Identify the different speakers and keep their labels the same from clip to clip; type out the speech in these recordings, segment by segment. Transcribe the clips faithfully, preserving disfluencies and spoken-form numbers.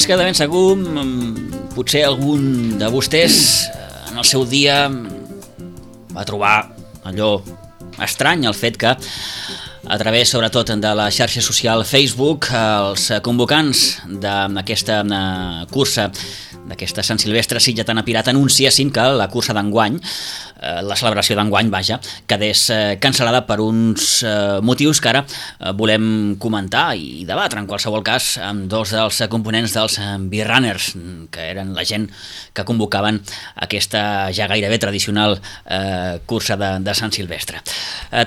Speaker 1: és que de ben segur potser algun de vostès en el seu dia va trobar allò estrany, el fet que a través sobretot de la xarxa social Facebook els convocants d'aquesta cursa d'aquesta Sant Silvestre Sitgetana Pirata anunciessin que la cursa d'enguany, la celebració d'enguany, vaja, quedés cancel·lada per uns motius que ara volem comentar i debatre, en qualsevol cas, amb dos dels components dels B-Runners, que eren la gent que convocaven aquesta ja gairebé tradicional cursa de, de Sant Silvestre.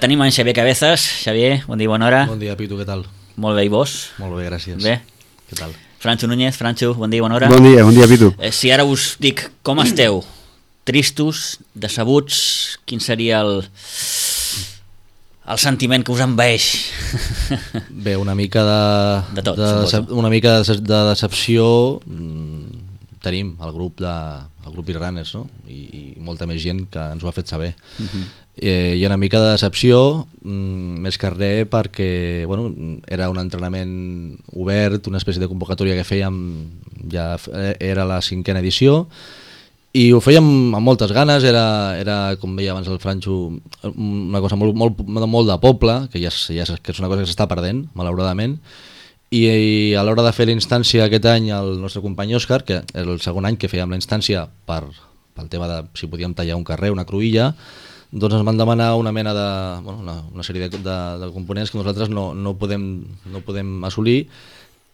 Speaker 1: Tenim en Xavier Cabezas. Xavier, bon dia, bona hora.
Speaker 2: Bon dia, Pitu, què tal?
Speaker 1: Molt bé, i vos?
Speaker 2: Molt bé, gràcies.
Speaker 1: Bé?
Speaker 2: Què tal?
Speaker 1: Francho Núñez. Francho, bon dia, bona hora.
Speaker 3: Bon dia, bon dia, Pitu.
Speaker 1: Eh, si ara us dic com esteu, tristos, decebuts, quin seria el, el sentiment que us envaeix?
Speaker 2: Bé, una mica de,
Speaker 1: de, tot,
Speaker 2: de decep, una mica de, de decepció mmm, tenim el grup de el grup B-Runners, no? I, i molta més gent que ens ho ha fet saber. Uh-huh. Eh, hi ha una mica de decepció, mmm, més que res perquè bueno, era un entrenament obert, una espècie de convocatòria que fèiem, ja era la cinquena edició, i ho fèiem amb moltes ganes, era, era com deia abans el Francho, una cosa molt, molt, molt de poble, que, ja, ja, que és una cosa que s'està perdent, malauradament, i, i a l'hora de fer la instància aquest any el nostre company Òscar, que era el segon any que fèiem la instància per, pel tema de si podíem tallar un carrer, una cruïlla, doncs ens van demanar una mena de, bueno, una, una sèrie de, de, de components que nosaltres no, no, podem, no podem assolir,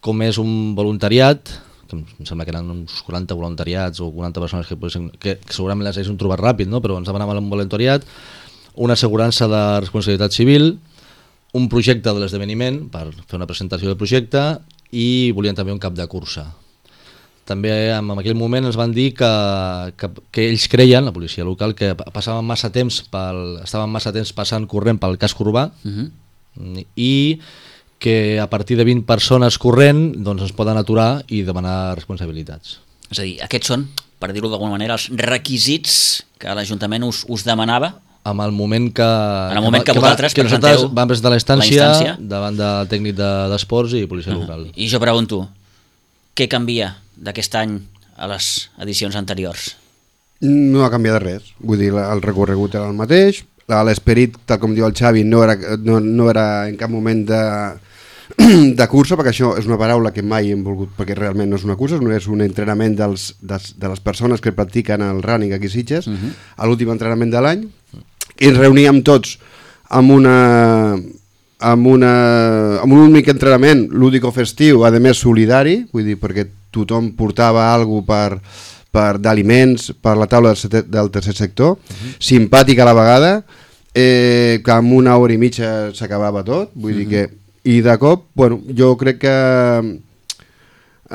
Speaker 2: com és un voluntariat, que em sembla que eren uns quaranta voluntariats o quaranta persones que, que, que segurament les haguéssim trobat ràpid, no? Però ens demanaven un voluntariat, una assegurança de responsabilitat civil, un projecte de l'esdeveniment per fer una presentació del projecte i volien també un cap de cursa. També en aquell moment ens van dir que, que, que ells creien, la policia local, que passaven massa temps pel, estaven massa temps passant corrent pel casc urbà uh-huh. i que a partir de vint persones corrent doncs es poden aturar i demanar responsabilitats.
Speaker 1: És a dir, aquests són, per dir-ho d'alguna manera, els requisits que l'Ajuntament us, us demanava?
Speaker 2: En el moment que,
Speaker 1: en el moment que, que vosaltres
Speaker 2: que
Speaker 1: presenteu
Speaker 2: vam presentar la instància, la instància davant del tècnic d'esports de, i policia uh-huh. local.
Speaker 1: I jo pregunto, què canvia d'aquest any a les edicions anteriors?
Speaker 3: No ha canviat res, vull dir, el recorregut era el mateix, l'esperit, tal com diu el Xavi, no era, no, no era en cap moment de, de cursa, perquè això és una paraula que mai hem volgut, perquè realment no és una cursa, no és un entrenament dels, dels, de les persones que practiquen el running aquí a Sitges, uh-huh. a l'últim entrenament de l'any, i ens reuníem tots amb una... amb, una, amb un únic entrenament lúdico-festiu, a més solidari, vull dir, perquè tothom portava alguna per, per d'aliments per la taula del, del tercer sector, uh-huh. simpàtic a la vegada, eh, que en una hora i mitja s'acabava tot, vull uh-huh. dir que... I de cop, bueno, jo crec que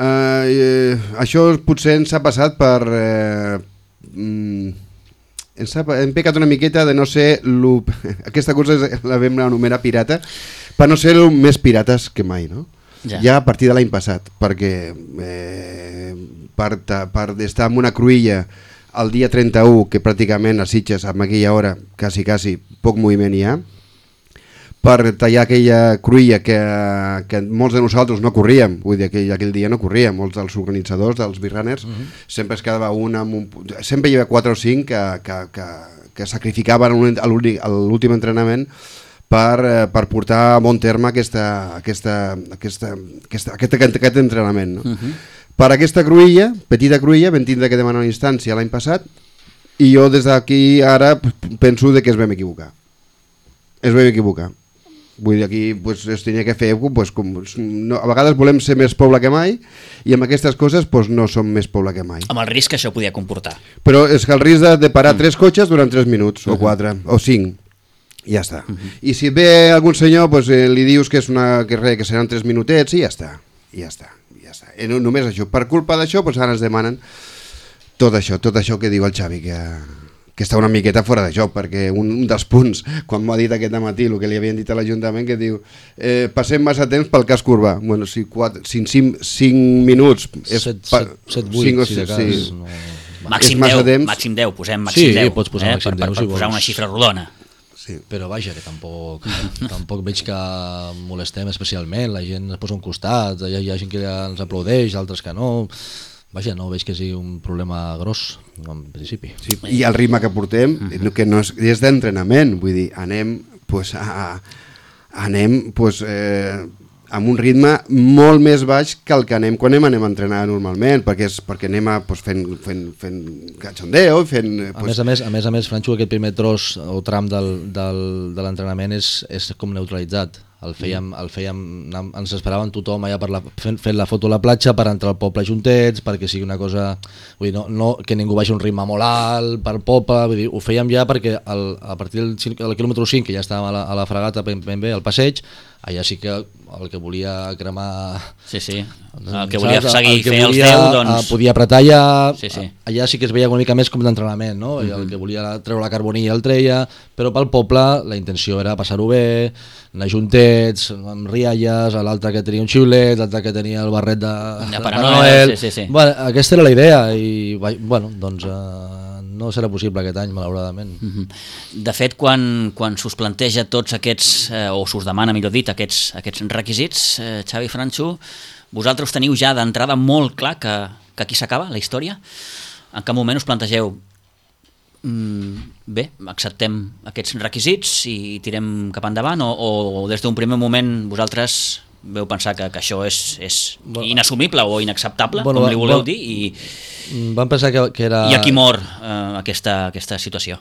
Speaker 3: eh, eh, això potser ens ha passat per... Eh, mm, ens ha, hem pecat una miqueta de no ser lo, aquesta cosa la vam anomenar pirata, per no ser el més pirates que mai, no? Ja, ja a partir de l'any passat, perquè eh, per, per estar en una cruïlla el dia trenta-u, que pràcticament a Sitges amb aquella hora quasi, quasi poc moviment hi ha, per tallar aquella cruïlla que, que molts de nosaltres no corríem, vull dir, aquell, aquell dia no corríem, molts dels organitzadors, dels B-Runners, uh-huh. sempre es quedava un amb un... Sempre hi havia quatre o cinc que, que, que, que sacrificaven un, l'últim entrenament per, per portar a bon terme aquesta, aquesta, aquesta, aquesta, aquest, aquest entrenament. No? Uh-huh. Per aquesta cruïlla, petita cruïlla, vam tindre que demanar una instància l'any passat i jo des d'aquí ara penso de que es vam equivocar. Es vam equivocar. Vull dir, aquí pues, es tenia que fer, pues, com, no, a vegades volem ser més poble que mai i amb aquestes coses pues, no som més poble que mai.
Speaker 1: Amb el risc que això podia comportar.
Speaker 3: Però és que el risc de, de parar mm. tres cotxes durant tres minuts, uh-huh. o quatre, o cinc, ja està. Uh-huh. I si ve algun senyor, pues, eh, li dius que, és una, que, re, que seran tres minutets i ja està, ja està. Ja està. I no, només això. Per culpa d'això, pues, ara ens demanen tot això, tot això que diu el Xavi, que... que està una miqueta fora de joc, perquè un, un dels punts, quan m'ha dit aquest matí, el que li havien dit a l'Ajuntament, que diu, eh, passem massa temps pel casc urbà. Bueno, si quatre, cinc, cinc, cinc minuts...
Speaker 2: set, vuit, si de cas... Sí.
Speaker 1: No... Màxim deu, màxim deu, posem màxim
Speaker 2: sí,
Speaker 1: deu.
Speaker 2: Pots posar
Speaker 1: eh,
Speaker 2: màxim
Speaker 1: per,
Speaker 2: deu,
Speaker 1: per,
Speaker 2: si
Speaker 1: per posar una xifra rodona.
Speaker 3: Sí.
Speaker 2: Però vaja, que tampoc, tampoc veig que molestem especialment, la gent es posa a un costat, hi ha, hi ha gent que ens aplaudeix, altres que no, vaja, no veig que sigui un problema gros, en principi.
Speaker 3: Sí, i el ritme que portem, uh-huh. que no és, és d'entrenament, vull dir, anem, pues, a, anem pues, eh, amb un ritme molt més baix que el que anem quan anem, anem a entrenar normalment, perquè, és, perquè anem a, pues, fent, fent, fent cachondeo, fent... Pues...
Speaker 2: A més a més, a més, a més Franxo, aquest primer tros o tram del, del, de l'entrenament és, és com neutralitzat. El fèiem, el fèiem, ens esperaven tothom allà per la, fent, fent la foto a la platja per entrar al poble juntets, perquè sigui una cosa, vull dir, no, no que ningú vagi un ritme molt alt per poble, vull dir, ho fèiem ja perquè el, a partir del, del quilòmetre cinc, que ja estàvem a la, a la fregata ben, ben bé, al passeig, allà sí que el que volia cremar...
Speaker 1: Sí, sí, el que volia saps? seguir,
Speaker 2: que
Speaker 1: fer
Speaker 2: volia,
Speaker 1: els deu, doncs...
Speaker 2: Podia apretar allà,
Speaker 1: sí, sí.
Speaker 2: allà sí que es veia una mica més com d'entrenament, no? Mm-hmm. El que volia treure la carbonilla el treia, però pel poble la intenció era passar-ho bé, anar juntets, amb rialles, l'altre que tenia un xiulet, l'altre que tenia el barret de,
Speaker 1: de Pare Noel. Sí, sí, sí.
Speaker 2: Bueno, aquesta era la idea i bueno, doncs eh, no serà possible aquest any, malauradament.
Speaker 1: Mm-hmm. De fet, quan, quan s'us planteja tots aquests, eh, o s'us demana, millor dit, aquests, aquests requisits, eh, Xavi, Franxo, vosaltres teniu ja d'entrada molt clar que, que aquí s'acaba la història? En cap moment us plantegeu mm, bé, acceptem aquests requisits i tirem cap endavant, o, o des d'un primer moment vosaltres veu pensar que, que això és, és bueno, inassumible o inacceptable, bueno, com li voleu bueno, dir, i,
Speaker 2: vam pensar que, que era...
Speaker 1: i aquí mor eh, aquesta, aquesta situació?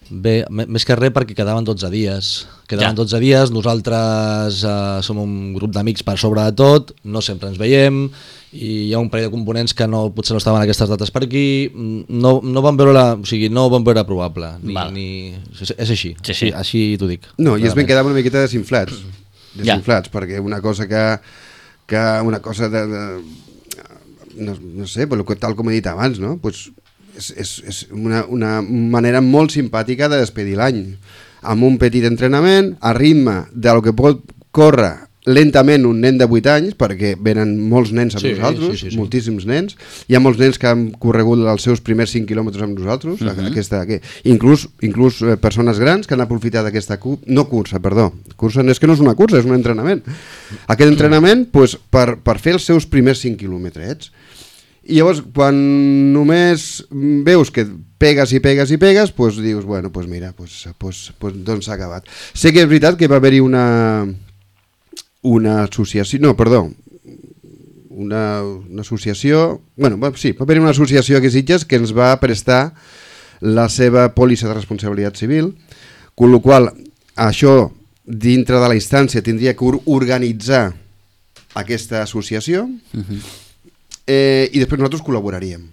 Speaker 2: Bé, més que res perquè quedaven dotze dies. Quedaven ja. dotze dies, nosaltres eh, som un grup d'amics per sobre de tot, no sempre ens veiem, i hi ha un parell de components que no, potser no estaven aquestes dates per aquí, no, no van veure la, o sigui, no van veure probable, ni, ni, és, és així,
Speaker 1: sí, sí.
Speaker 2: sí, així t'ho dic.
Speaker 3: No, i es ben quedava una miqueta desinflats, desinflats, ja. perquè una cosa que, que una cosa de, de no, no sé, però tal com he dit abans, no? Pues, és, és, és una, una manera molt simpàtica de despedir l'any, amb un petit entrenament, a ritme del que pot córrer lentament un nen de vuit anys, perquè venen molts nens amb sí, nosaltres, sí, sí, sí. moltíssims nens, hi ha molts nens que han corregut els seus primers cinc quilòmetres amb nosaltres, uh-huh. aquesta, que, inclús, inclús persones grans que han aprofitat aquesta cu- no cursa, perdó, cursa és que no és una cursa, és un entrenament. Aquest entrenament pues, per, per fer els seus primers cinc quilòmetres. I llavors, quan només veus que pegues i pegues i pegues, doncs dius, bueno, doncs mira, doncs, doncs, doncs, doncs s'ha acabat. Sé que és veritat que va haver-hi una, una associació, no, perdó, una, una associació, bueno, sí, va haver-hi una associació aquí a Sitges que ens va prestar la seva pòlissa de responsabilitat civil, amb la qual això, dintre de la instància, tindria que organitzar aquesta associació, uh-huh. Eh, i després nosaltres col·laboraríem,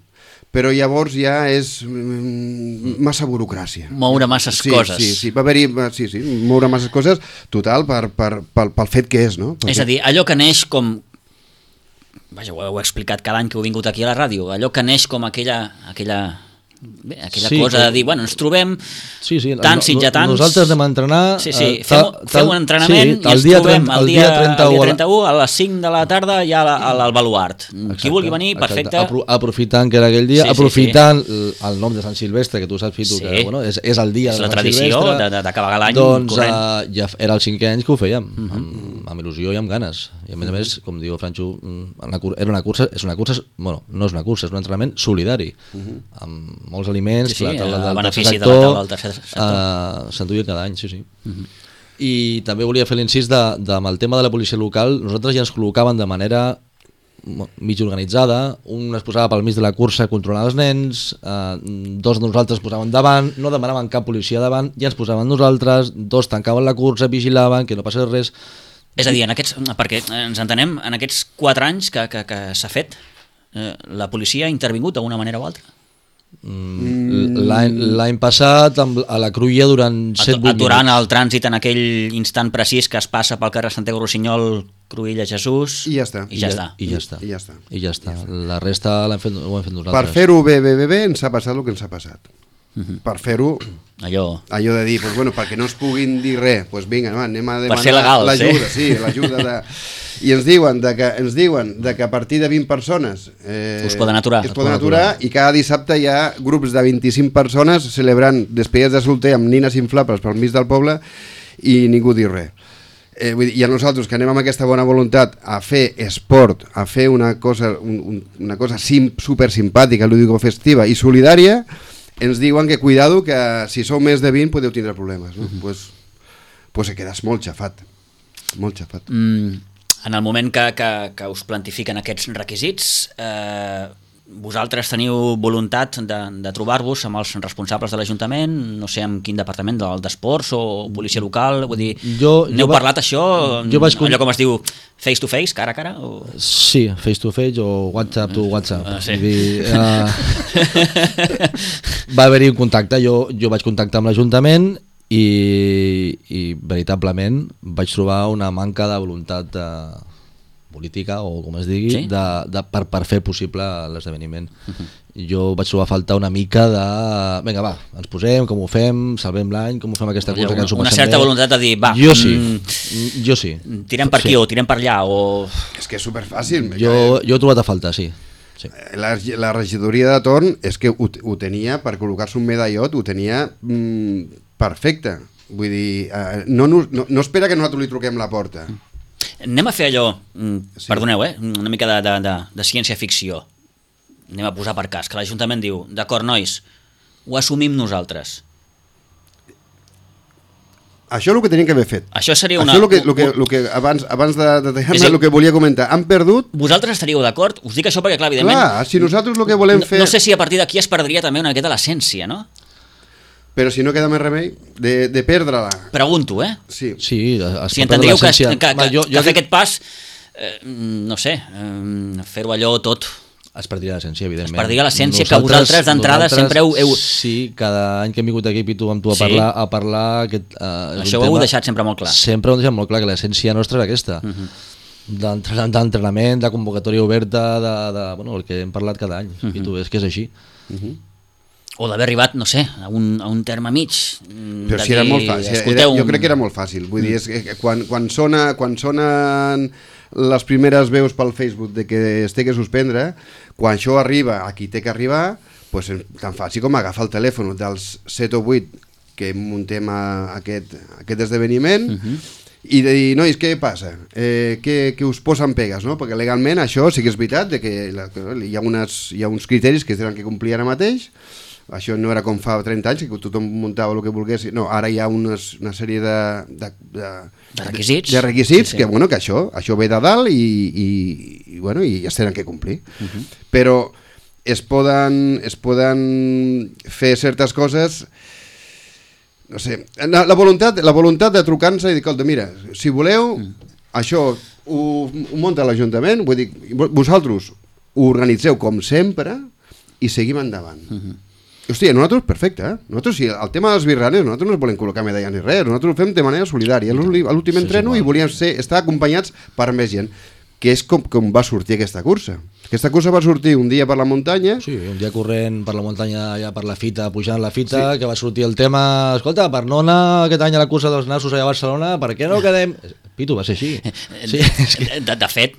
Speaker 3: però llavors ja és mm, massa burocràcia,
Speaker 1: moure masses
Speaker 3: sí,
Speaker 1: coses
Speaker 3: sí, sí, va haver-hi, sí, sí, moure masses coses total per, per, pel, pel fet que és, no? Perquè...
Speaker 1: És a dir, allò que neix com vaja, ho heu explicat cada any que heu vingut aquí a la ràdio, allò que neix com aquella aquella bé, aquella sí, cosa que... de dir, bueno, ens trobem
Speaker 2: sí, sí,
Speaker 1: tants i ja tants.
Speaker 2: Nosaltres anem a entrenar...
Speaker 1: Sí, sí, fem, tal, fem un entrenament sí, i ens trobem el dia, el dia trenta-u a les cinc de la tarda ja al, al baluart. Exacte, qui vulgui venir, perfecte.
Speaker 2: Apro aprofitant que era aquell dia, sí, aprofitant sí, sí. el nom de Sant Silvestre, que tu saps, Fitu, sí. que bueno, és, és el dia
Speaker 1: és
Speaker 2: de
Speaker 1: la
Speaker 2: Sant
Speaker 1: tradició
Speaker 2: Silvestre.
Speaker 1: D'acabar l'any
Speaker 2: doncs,
Speaker 1: corrent.
Speaker 2: Uh, ja era el cinquè any que ho fèiem, uh -huh. amb, amb il·lusió i amb ganes. I a més a més, com diu Franxo, era una cursa, és una cursa, bueno, no és una cursa, és un entrenament solidari, uh -huh. amb molts aliments,
Speaker 1: sí, sí.
Speaker 2: La taula del
Speaker 1: benefici
Speaker 2: tercer
Speaker 1: sector, de la taula del tercer sector
Speaker 2: uh, s'enduia cada any, sí, sí. Uh-huh. I també volia fer l'incís de, de, amb el tema de la policia local. Nosaltres ja ens col·locaven de manera mig organitzada, un es posava pel mig de la cursa a controlar els nens, uh, dos de nosaltres es posaven davant, no demanaven cap policia davant, ja ens posaven nosaltres, dos tancaven la cursa, vigilaven, que no passés res.
Speaker 1: És a dir, en aquests, perquè ens entenem, en aquests quatre anys que, que, que s'ha fet, eh, la policia ha intervingut d'una manera o altra?
Speaker 2: Mm, l'any passat a la Cruïlla durant set vuit minuts,
Speaker 1: aturant el trànsit en aquell instant precís que es passa pel carrer Santiago Rossinyol, Cruïlla, Jesús
Speaker 3: i ja està
Speaker 1: i ja, I ja,
Speaker 2: i ja està
Speaker 3: i ja està
Speaker 2: i ja està, la resta l'hem fet, ho hem fet nosaltres.
Speaker 3: Per fer-ho bé, bé, bé, bé ens ha passat el que ens ha passat. uh-huh. per fer-ho,
Speaker 1: allò...
Speaker 3: allò de dir, pues, bueno, perquè no es puguin dir res, pues vinga, va, anem a
Speaker 1: ser
Speaker 3: demanar
Speaker 1: legals,
Speaker 3: l'ajuda,
Speaker 1: eh?
Speaker 3: sí, l'ajuda de... I ens diuen, de que, ens diuen de que a partir de vint persones eh,
Speaker 1: us poden aturar.
Speaker 3: es poden aturar, i cada dissabte hi ha grups de vint-i-cinc persones celebrant despedides de solter amb nines inflables pel mig del poble i ningú diu res. Eh, vull dir, i a nosaltres que anem amb aquesta bona voluntat a fer esport, a fer una cosa, un, un, una cosa sim, super simpàtica, lúdico-festiva i solidària, ens diuen que cuidado, que si sou més de vint podeu tindre problemes, no? Uh-huh. pues, pues quedes molt xafat, molt xafat.
Speaker 1: Mm, en el moment que, que, que us plantifiquen aquests requisits, eh, vosaltres teniu voluntat de, de trobar-vos amb els responsables de l'Ajuntament, no sé amb quin departament, del d'esports o policia local, vull dir,
Speaker 2: jo,
Speaker 1: n'heu
Speaker 2: jo va...
Speaker 1: parlat això,
Speaker 2: jo vaig...
Speaker 1: allò com es diu face to face, cara a cara? O...
Speaker 2: Sí, face to face o WhatsApp to WhatsApp.
Speaker 1: Uh, sí.
Speaker 2: Dir, uh... va haver-hi un contacte, jo, jo vaig contactar amb l'Ajuntament i, i veritablement vaig trobar una manca de voluntat de... política o com es digui,
Speaker 1: sí?
Speaker 2: de, de, per, per fer possible l'esdeveniment. Uh-huh. Jo vaig trobar a faltar una mica de... Vinga, va, ens posem, com ho fem, salvem l'any, com ho fem aquesta cosa, que ens ho
Speaker 1: una
Speaker 2: passem
Speaker 1: certa
Speaker 2: bé.
Speaker 1: voluntat de dir, va,
Speaker 2: jo sí,
Speaker 1: mm,
Speaker 2: jo sí.
Speaker 1: Tirem per aquí
Speaker 2: sí.
Speaker 1: o tirem per allà, o...
Speaker 3: És que és superfàcil.
Speaker 2: Jo, jo he trobat a faltar, sí. sí.
Speaker 3: La, la regidoria de torn és que ho, ho tenia, per col·locar-se un medallot, ho tenia mm, perfecte. Vull dir, eh, no, no, no espera que nosaltres li truquem la porta.
Speaker 1: Anem a fer allò,
Speaker 3: Sí.
Speaker 1: perdoneu, eh? una mica de, de, de, de ciència-ficció. Anem a posar per cas, que l'Ajuntament diu, d'acord, nois, ho assumim nosaltres.
Speaker 3: Això és el que tenien que haver fet.
Speaker 1: Això seria una...
Speaker 3: Això és el que, el que, el que abans, abans de, de dejar-me el que volia comentar. Han perdut...
Speaker 1: Vosaltres estaríeu d'acord? Us dic això perquè, clar, evidentment...
Speaker 3: Clar, si nosaltres el que volem
Speaker 1: no,
Speaker 3: fer...
Speaker 1: No sé si a partir d'aquí es perdria també una miqueta l'essència, no?
Speaker 3: Però si no queda més remei de, de perdre-la.
Speaker 1: Pregunto, eh?
Speaker 3: Sí.
Speaker 2: Sí, es
Speaker 1: Si
Speaker 2: pot
Speaker 1: entendríeu que,
Speaker 2: l'essència.
Speaker 1: que, que,
Speaker 2: Va, jo,
Speaker 1: que
Speaker 2: jo
Speaker 1: fer
Speaker 2: crec-
Speaker 1: aquest pas, eh, no sé, eh, fer-ho allò tot...
Speaker 2: Es perdria l'essència, evidentment.
Speaker 1: Es perdria l'essència que vosaltres d'entrada sempre heu- heu-
Speaker 2: Sí, cada any que hem vingut aquí, Pitu, amb tu a
Speaker 1: Sí.
Speaker 2: parlar, a parlar aquest, uh,
Speaker 1: Això ho heu deixat sempre molt clar.
Speaker 2: Sempre ho hem deixat molt clar, que l'essència nostra és aquesta.
Speaker 1: Uh -huh.
Speaker 2: D'entre- D'entrenament, de convocatòria oberta, de, de, bueno, el que hem parlat cada any.
Speaker 1: Uh -huh.
Speaker 2: Pitu, és que és així.
Speaker 3: Uh -huh.
Speaker 1: O d'haver arribat, no sé, a un, a un terme mig.
Speaker 3: Però
Speaker 1: de
Speaker 3: si era
Speaker 1: dir,
Speaker 3: molt fàcil, era,
Speaker 1: escolteu,
Speaker 3: jo crec que era molt fàcil. Vull dir, és que quan, quan, sona, quan sonen les primeres veus pel Facebook de que es té que suspendre, quan això arriba a qui té que arribar, pues, tan fàcil com agafar el telèfon dels set o vuit que muntem a aquest, aquest esdeveniment uh -huh. i de dir, nois, què passa? Eh, què, què us posen pegues? No? Perquè legalment això sí que és veritat, de que la, hi, ha unes, hi ha uns criteris que es tenen que complir ara mateix. Això no era com fa trenta anys, que tothom muntava el que volgués. No, ara hi ha unes, una sèrie de, de, de,
Speaker 1: De requisits.
Speaker 3: de requisits
Speaker 1: Sí, sí.
Speaker 3: que, bueno, que això, això ve de dalt i, i, i, bueno, i es tenen que complir. Uh -huh. Però es poden, es poden fer certes coses... No sé, la, la, voluntat, la voluntat de trucar-nos i dir, escolta, mira, si voleu, mm. això ho, ho munta l'Ajuntament, vull dir, vosaltres ho organitzeu com sempre i seguim endavant. Uh -huh. Hòstia, nosaltres, perfecte, eh? Nosaltres, si el tema dels birranes, nosaltres no ens volem col·locar medalles ni res, nosaltres ho fem de manera solidària. A l'últim entreno i volíem ser, estar acompanyats per més gent, que és com, com va sortir aquesta cursa. Aquesta cursa va sortir un dia per la muntanya...
Speaker 2: Sí, un dia corrent per la muntanya, allà per la fita, pujant la fita, sí. Que va sortir el tema, escolta, per no anar aquest any a la cursa dels nassos allà a Barcelona, per què no quedem... Pitu, va ser així. Sí, és que...
Speaker 1: de, de fet,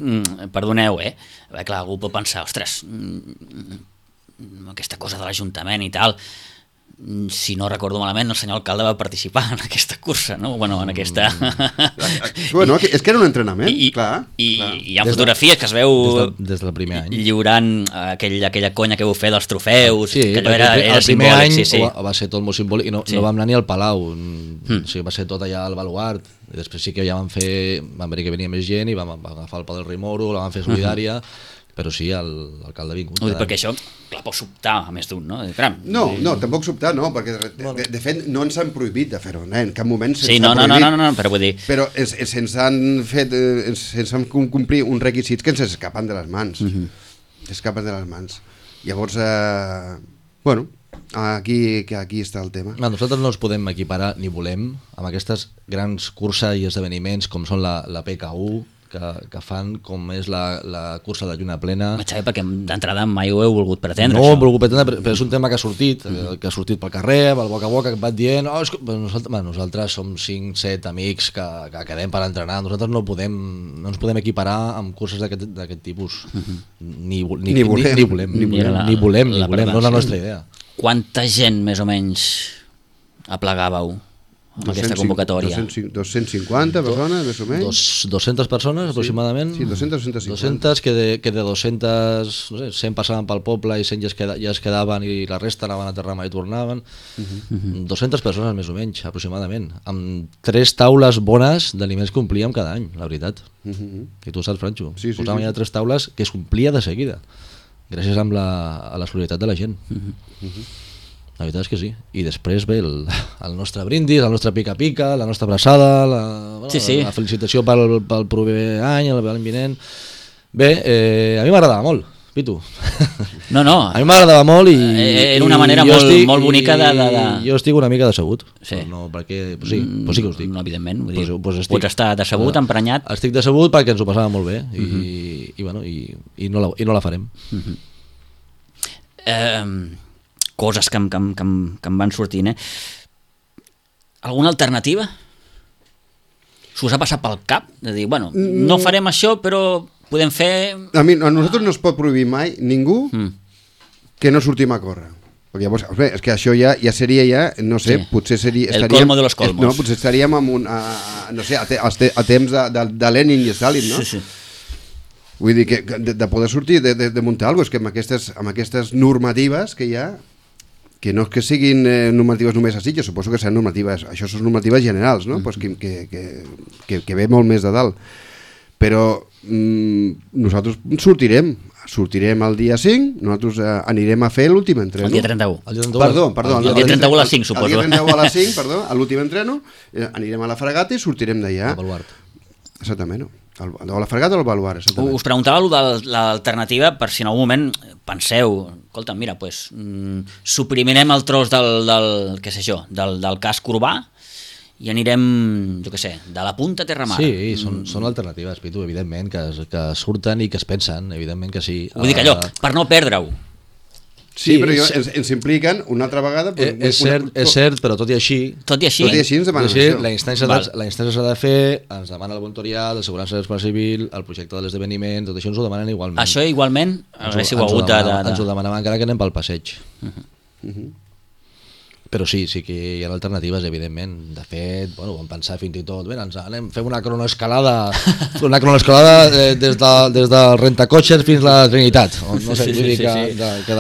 Speaker 1: perdoneu, eh? Bé, clar, algú pot pensar, ostres, aquesta cosa de l'Ajuntament i tal, si no recordo malament, el senyor alcalde va participar en aquesta cursa, no? Bueno, en aquesta...
Speaker 3: Bueno, és que era un entrenament,
Speaker 1: I,
Speaker 3: clar.
Speaker 1: I,
Speaker 3: clar.
Speaker 1: i hi ha fotografies que es veu
Speaker 2: des, de, des del primer any.
Speaker 1: lliurant aquell, aquella conya que vau fer dels trofeus,
Speaker 2: sí,
Speaker 1: que allò era,
Speaker 2: el,
Speaker 1: era
Speaker 2: el primer
Speaker 1: simbòlic,
Speaker 2: any
Speaker 1: sí, sí.
Speaker 2: Va, va ser tot molt simbòlic i no,
Speaker 1: Sí.
Speaker 2: no vam anar ni al Palau,
Speaker 1: Mm.
Speaker 2: o sigui, va ser tot allà al baluart, i després sí que ja vam fer, vam veure que venia més gent i vam, vam agafar el Pal del Rei Moro, la vam fer solidària, uh-huh. Però sí, l'alcalde ha vingut.
Speaker 1: Ui, perquè això, clar, pot sobtar a més d'un, no? Caram.
Speaker 3: No, no, tampoc sobtar, no, perquè de, de, de fet no ens han prohibit de fer-ho, eh? En cap moment se'ns
Speaker 1: Sí,
Speaker 3: ha
Speaker 1: no, no, no,
Speaker 3: prohibit.
Speaker 1: no, no, però vull dir...
Speaker 3: Però ens, se'ns han fet, eh, se'ns han complir uns requisits que ens escapen de les mans. Uh-huh. Escapen de les mans. Llavors, eh, bueno, aquí, que aquí està el tema.
Speaker 2: No, nosaltres no ens podem equiparar, ni volem, amb aquestes grans curses i esdeveniments com són la, la P K U, que, que fan com és la, la cursa de lluna plena.
Speaker 1: Xavi, perquè d'entrada mai ho heu volgut pretendre,
Speaker 2: no,
Speaker 1: això.
Speaker 2: No, ho he volgut pretendre, però és un tema que ha sortit, mm. que ha sortit pel carrer, pel boca a boca, que et van dient oh, nosaltres, bueno, nosaltres som cinc set amics que, que quedem per entrenar, nosaltres no podem no ens podem equiparar amb curses d'aquest tipus. Mm-hmm. ni, ni, ni, volem, ni, ni volem, ni volem, la, ni volem, ni volem, no és la nostra idea.
Speaker 1: Quanta gent, més o menys, aplegàveu amb aquesta convocatòria?
Speaker 3: dos-cents cinquanta persones, més o menys.
Speaker 2: Dos, dues-centes persones, sí, aproximadament.
Speaker 3: Sí, dues-centes, dues-centes cinquanta.
Speaker 2: dues-centes, que de, que de dues-centes, no sé, cent passaven pel poble i cent ja es, queda, ja es quedaven i la resta anaven a Terrama i tornaven. Uh-huh. dues-centes persones, més o menys, aproximadament. Amb tres taules bones d'aliments que omplíem cada any, la veritat. Uh-huh. I tu ho saps, Franxo. Sí, sí, Posàvem sí. ja tres taules que es complia de seguida, gràcies amb la, a la solidaritat de la gent. Uh-huh. Uh-huh. La veritat és que sí. I després ve el, el nostre brindis, el nostre pica-pica, la nostra abraçada, la, bueno, sí, sí. la, la felicitació pel, pel proper any, l'any vinent. Bé, eh, a mi m'agradava molt, Pitu.
Speaker 1: No, no.
Speaker 2: A mi m'agradava molt i...
Speaker 1: Era una manera molt, estic, molt bonica de, de, de...
Speaker 2: Jo estic una mica decebut.
Speaker 1: Sí.
Speaker 2: Però no, perquè... Pues sí, pues sí que ho estic.
Speaker 1: No, evidentment. Vull dir,
Speaker 2: pues, pues estic,
Speaker 1: pots estar decebut, emprenyat.
Speaker 2: Estic decebut perquè ens ho passava molt bé i, uh -huh. i, i, bueno, i, i, no, la, i no la farem.
Speaker 1: Uh -huh. Eh... coses que, que, que, que em van sortint, eh? Alguna alternativa? S'us ha passat pel cap? De dir, bueno, no farem això, però podem fer...
Speaker 3: A mi, a nosaltres no es pot prohibir mai ningú mm. que no sortim a córrer. Perquè llavors, bé, és que això ja, ja seria ja, no sé, sí. potser seria...
Speaker 1: El colmo de los colmos.
Speaker 3: No, potser estaríem amb un, a, no sé, a, te, a temps de, de, de Lenin i Stalin, no?
Speaker 1: Sí, sí.
Speaker 3: Vull dir que de, de poder sortir, de, de, de muntar alguna cosa, és que amb aquestes, amb aquestes normatives que hi ha, que no és que siguin eh, normatives només a Sitges, suposo que seran normatives, això són normatives generals, no? Mm-hmm. pues que, que, que, que, que ve molt més de dalt. Però mm, nosaltres sortirem, sortirem el dia cinc, nosaltres eh, anirem a fer l'últim entreno.
Speaker 1: El dia trenta-u.
Speaker 3: El dia trenta-u perdó, perdó.
Speaker 1: El, el dia trenta-u a les cinc, suposo.
Speaker 3: El dia trenta-u a les cinc, perdó, a l'últim entreno, eh, anirem a la fregata i sortirem d'allà.
Speaker 2: A Baluart.
Speaker 3: Exactament, no. A la fregata o al Baluart, exactament.
Speaker 1: Us preguntava de l'alternativa per si en algun moment penseu, escolta, mira, pues, mm, suprimirem el tros del, del, què sé jo, del, del casc urbà i anirem, jo què sé, de la punta a Terramar.
Speaker 2: Sí, són, mm. són alternatives, Pitu, evidentment, que, que surten i que es pensen, evidentment que sí.
Speaker 1: Vull dir que allò, per no perdre-ho.
Speaker 3: Sí, sí, però jo, ens, ens impliquen una altra vegada...
Speaker 2: Pues, és, una, cert, és cert, però tot i així...
Speaker 1: Tot i així?
Speaker 3: Tot i així ens demanen
Speaker 2: això. La instància s'ha de fer, ens demana el voluntariat, l'assegurança de l'espai civil, el projecte de l'esdeveniment, tot això ens ho demanen igualment.
Speaker 1: Això igualment haguéssiu hagut de...
Speaker 2: Ens ho demanaven encara que anem pel passeig. Uh -huh. Uh -huh. Però sí, sí que hi ha alternatives, evidentment. De fet, bueno, vam pensar fins i tot, bé, ens anem, fem una cronoescalada, una cronoescalada eh, des, de, des del rentacotxes fins a la Trinitat. O, no sé,
Speaker 1: sí,
Speaker 2: vull dir
Speaker 1: sí,
Speaker 2: que,
Speaker 1: sí.
Speaker 2: de, que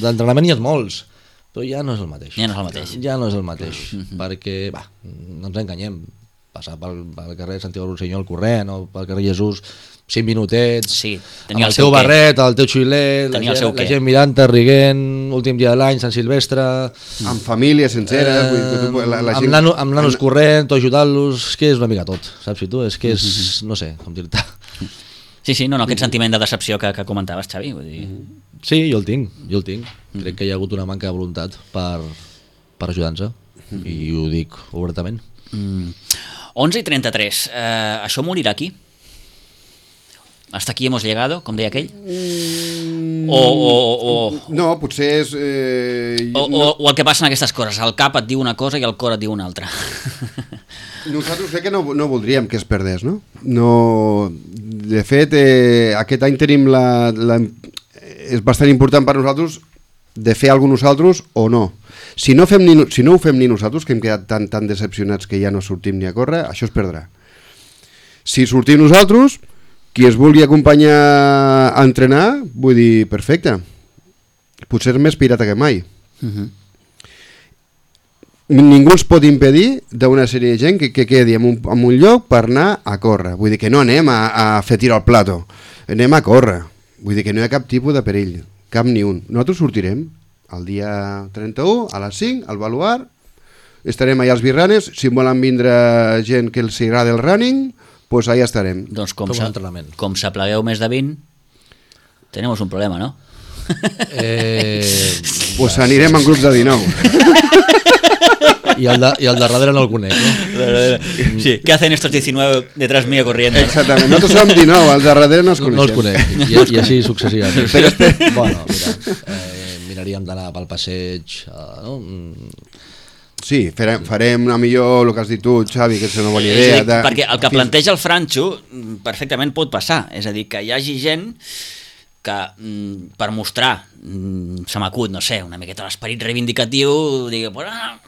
Speaker 2: d'entrenament hi ha molts, però ja no és el mateix.
Speaker 1: Ja no és el mateix.
Speaker 2: Ja no és el mateix, uh-huh. perquè, va, no ens enganyem, passar pel, pel carrer Santiago Rossinyol corrent o pel carrer Jesús cinc minutets,
Speaker 1: sí,
Speaker 2: amb el, el teu barret, el teu xuilet, la,
Speaker 1: el
Speaker 2: gent, la gent mirant-te, riguent, últim dia de l'any, Sant Silvestre...
Speaker 3: Amb família sencera... Eh,
Speaker 2: vull, la, la amb, gent... nano, amb nanos en... corrent, o ajudant-los, és que és una mica tot, saps si tu? És que és, mm-hmm. no sé, com dir-te...
Speaker 1: Sí, sí, no, no, aquest sentiment de decepció que, que comentaves, Xavi, vull dir...
Speaker 2: Sí, jo el tinc, jo el tinc. Mm-hmm. Crec que hi ha hagut una manca de voluntat per, per ajudar-nos, mm-hmm. i ho dic obertament.
Speaker 1: Mm. onze i trenta-tres, eh, això morirà aquí? Hasta aquí hemos llegado, com deia aquell? Mm, o, o, o,
Speaker 3: no, potser és... Eh,
Speaker 1: o,
Speaker 3: no.
Speaker 1: o, o el que passa en aquestes coses, el cap et diu una cosa i el cor et diu una altra.
Speaker 3: Nosaltres crec que no, no voldríem que es perdés, no? no de fet, eh, aquest any tenim la, la... És bastant important per nosaltres de fer alguna cosa nosaltres o no. Si no, fem ni, si no ho fem ni nosaltres, que hem quedat tan, tan decepcionats que ja no sortim ni a córrer, això es perdrà. Si sortim nosaltres... Qui es vulgui acompanyar a entrenar, vull dir, perfecte. Potser és més pirata que mai. Uh-huh. Ningú ens pot impedir d'una sèrie de gent que, que quedi en un, en un lloc per anar a córrer. Vull dir que no anem a, a fer tir al plato, anem a córrer. Vull dir que no hi ha cap tipus de perill, cap ni un. Nosaltres sortirem el dia trenta-u a les cinc al Baluart, estarem allà als birranes, si volen vindre gent que els agrada el running, pues allà estarem.
Speaker 1: Doncs com, com, com s'aplegueu més de vint, tenemos un problema, no?
Speaker 3: Eh, pues anirem en grups de dinou.
Speaker 2: I el, de, I el de darrere no el conec, no?
Speaker 1: Sí, què hacen estos diecinueve detrás mío corriendo?
Speaker 3: Exactament, nosaltres som dinou, els de darrere no els coneixem.
Speaker 2: No els conec, i, i així successivament. Però, bueno, mira, eh, miraríem d'anar pel passeig, eh, no?
Speaker 3: Sí, farem, farem a millor el que has dit tu, Xavi, que és una bona
Speaker 1: És
Speaker 3: idea.
Speaker 1: a dir,
Speaker 3: de...
Speaker 1: perquè el que planteja el Franxo perfectament pot passar, és a dir, que hi hagi gent que mm, per mostrar, mm, se m'acut, no sé, una miqueta l'esperit reivindicatiu, digui, pues, ah,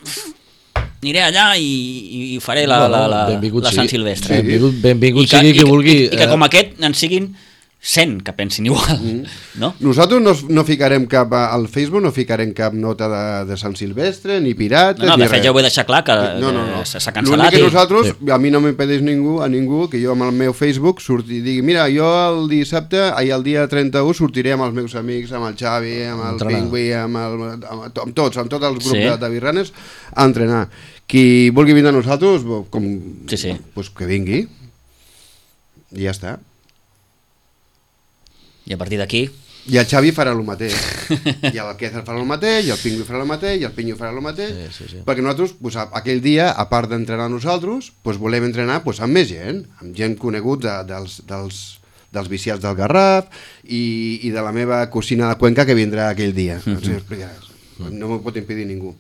Speaker 1: aniré allà i, i faré la, la, la, la Sant Silvestre.
Speaker 2: Sí. Benvingut, benvingut
Speaker 1: I que,
Speaker 2: sigui
Speaker 1: i,
Speaker 2: qui vulgui.
Speaker 1: I, i que com aquest en siguin cent que pensin igual, mm. no?
Speaker 3: Nosaltres no, no ficarem cap, al Facebook no ficarem cap nota de, de Sant Silvestre, ni pirates,
Speaker 1: no, no,
Speaker 3: ni
Speaker 1: de fet
Speaker 3: res.
Speaker 1: ja ho he deixat clar, que
Speaker 3: no, no, no.
Speaker 1: s'ha cancel·lat.
Speaker 3: L'únic que nosaltres,
Speaker 2: sí.
Speaker 3: a mi no m'impedeix ningú, a ningú, que jo amb el meu Facebook surti i digui, mira, jo el dissabte, ahir el dia trenta-u, sortiré amb els meus amics, amb el Xavi, amb el
Speaker 2: entrenar.
Speaker 3: Pingüí, amb, el, amb, amb tots, amb tots els grups
Speaker 1: Sí.
Speaker 3: de, de birranes, a entrenar. Qui vulgui vindre a nosaltres, com,
Speaker 1: Sí, sí.
Speaker 3: pues que vingui. I ja està.
Speaker 1: I a partir d'aquí...
Speaker 3: I el Xavi farà el mateix. I el Quezar farà el mateix, i el Pingüí farà el mateix, i el Pinyo farà el mateix.
Speaker 2: Sí, sí, sí.
Speaker 3: Perquè nosaltres, pues, aquell dia, a part d'entrenar nosaltres, pues, volem entrenar pues, amb més gent, amb gent conegut de, dels, dels, dels viciats del Garraf i, i de la meva cosina de Cuenca que vindrà aquell dia. Mm -hmm. No m'ho pot impedir ningú.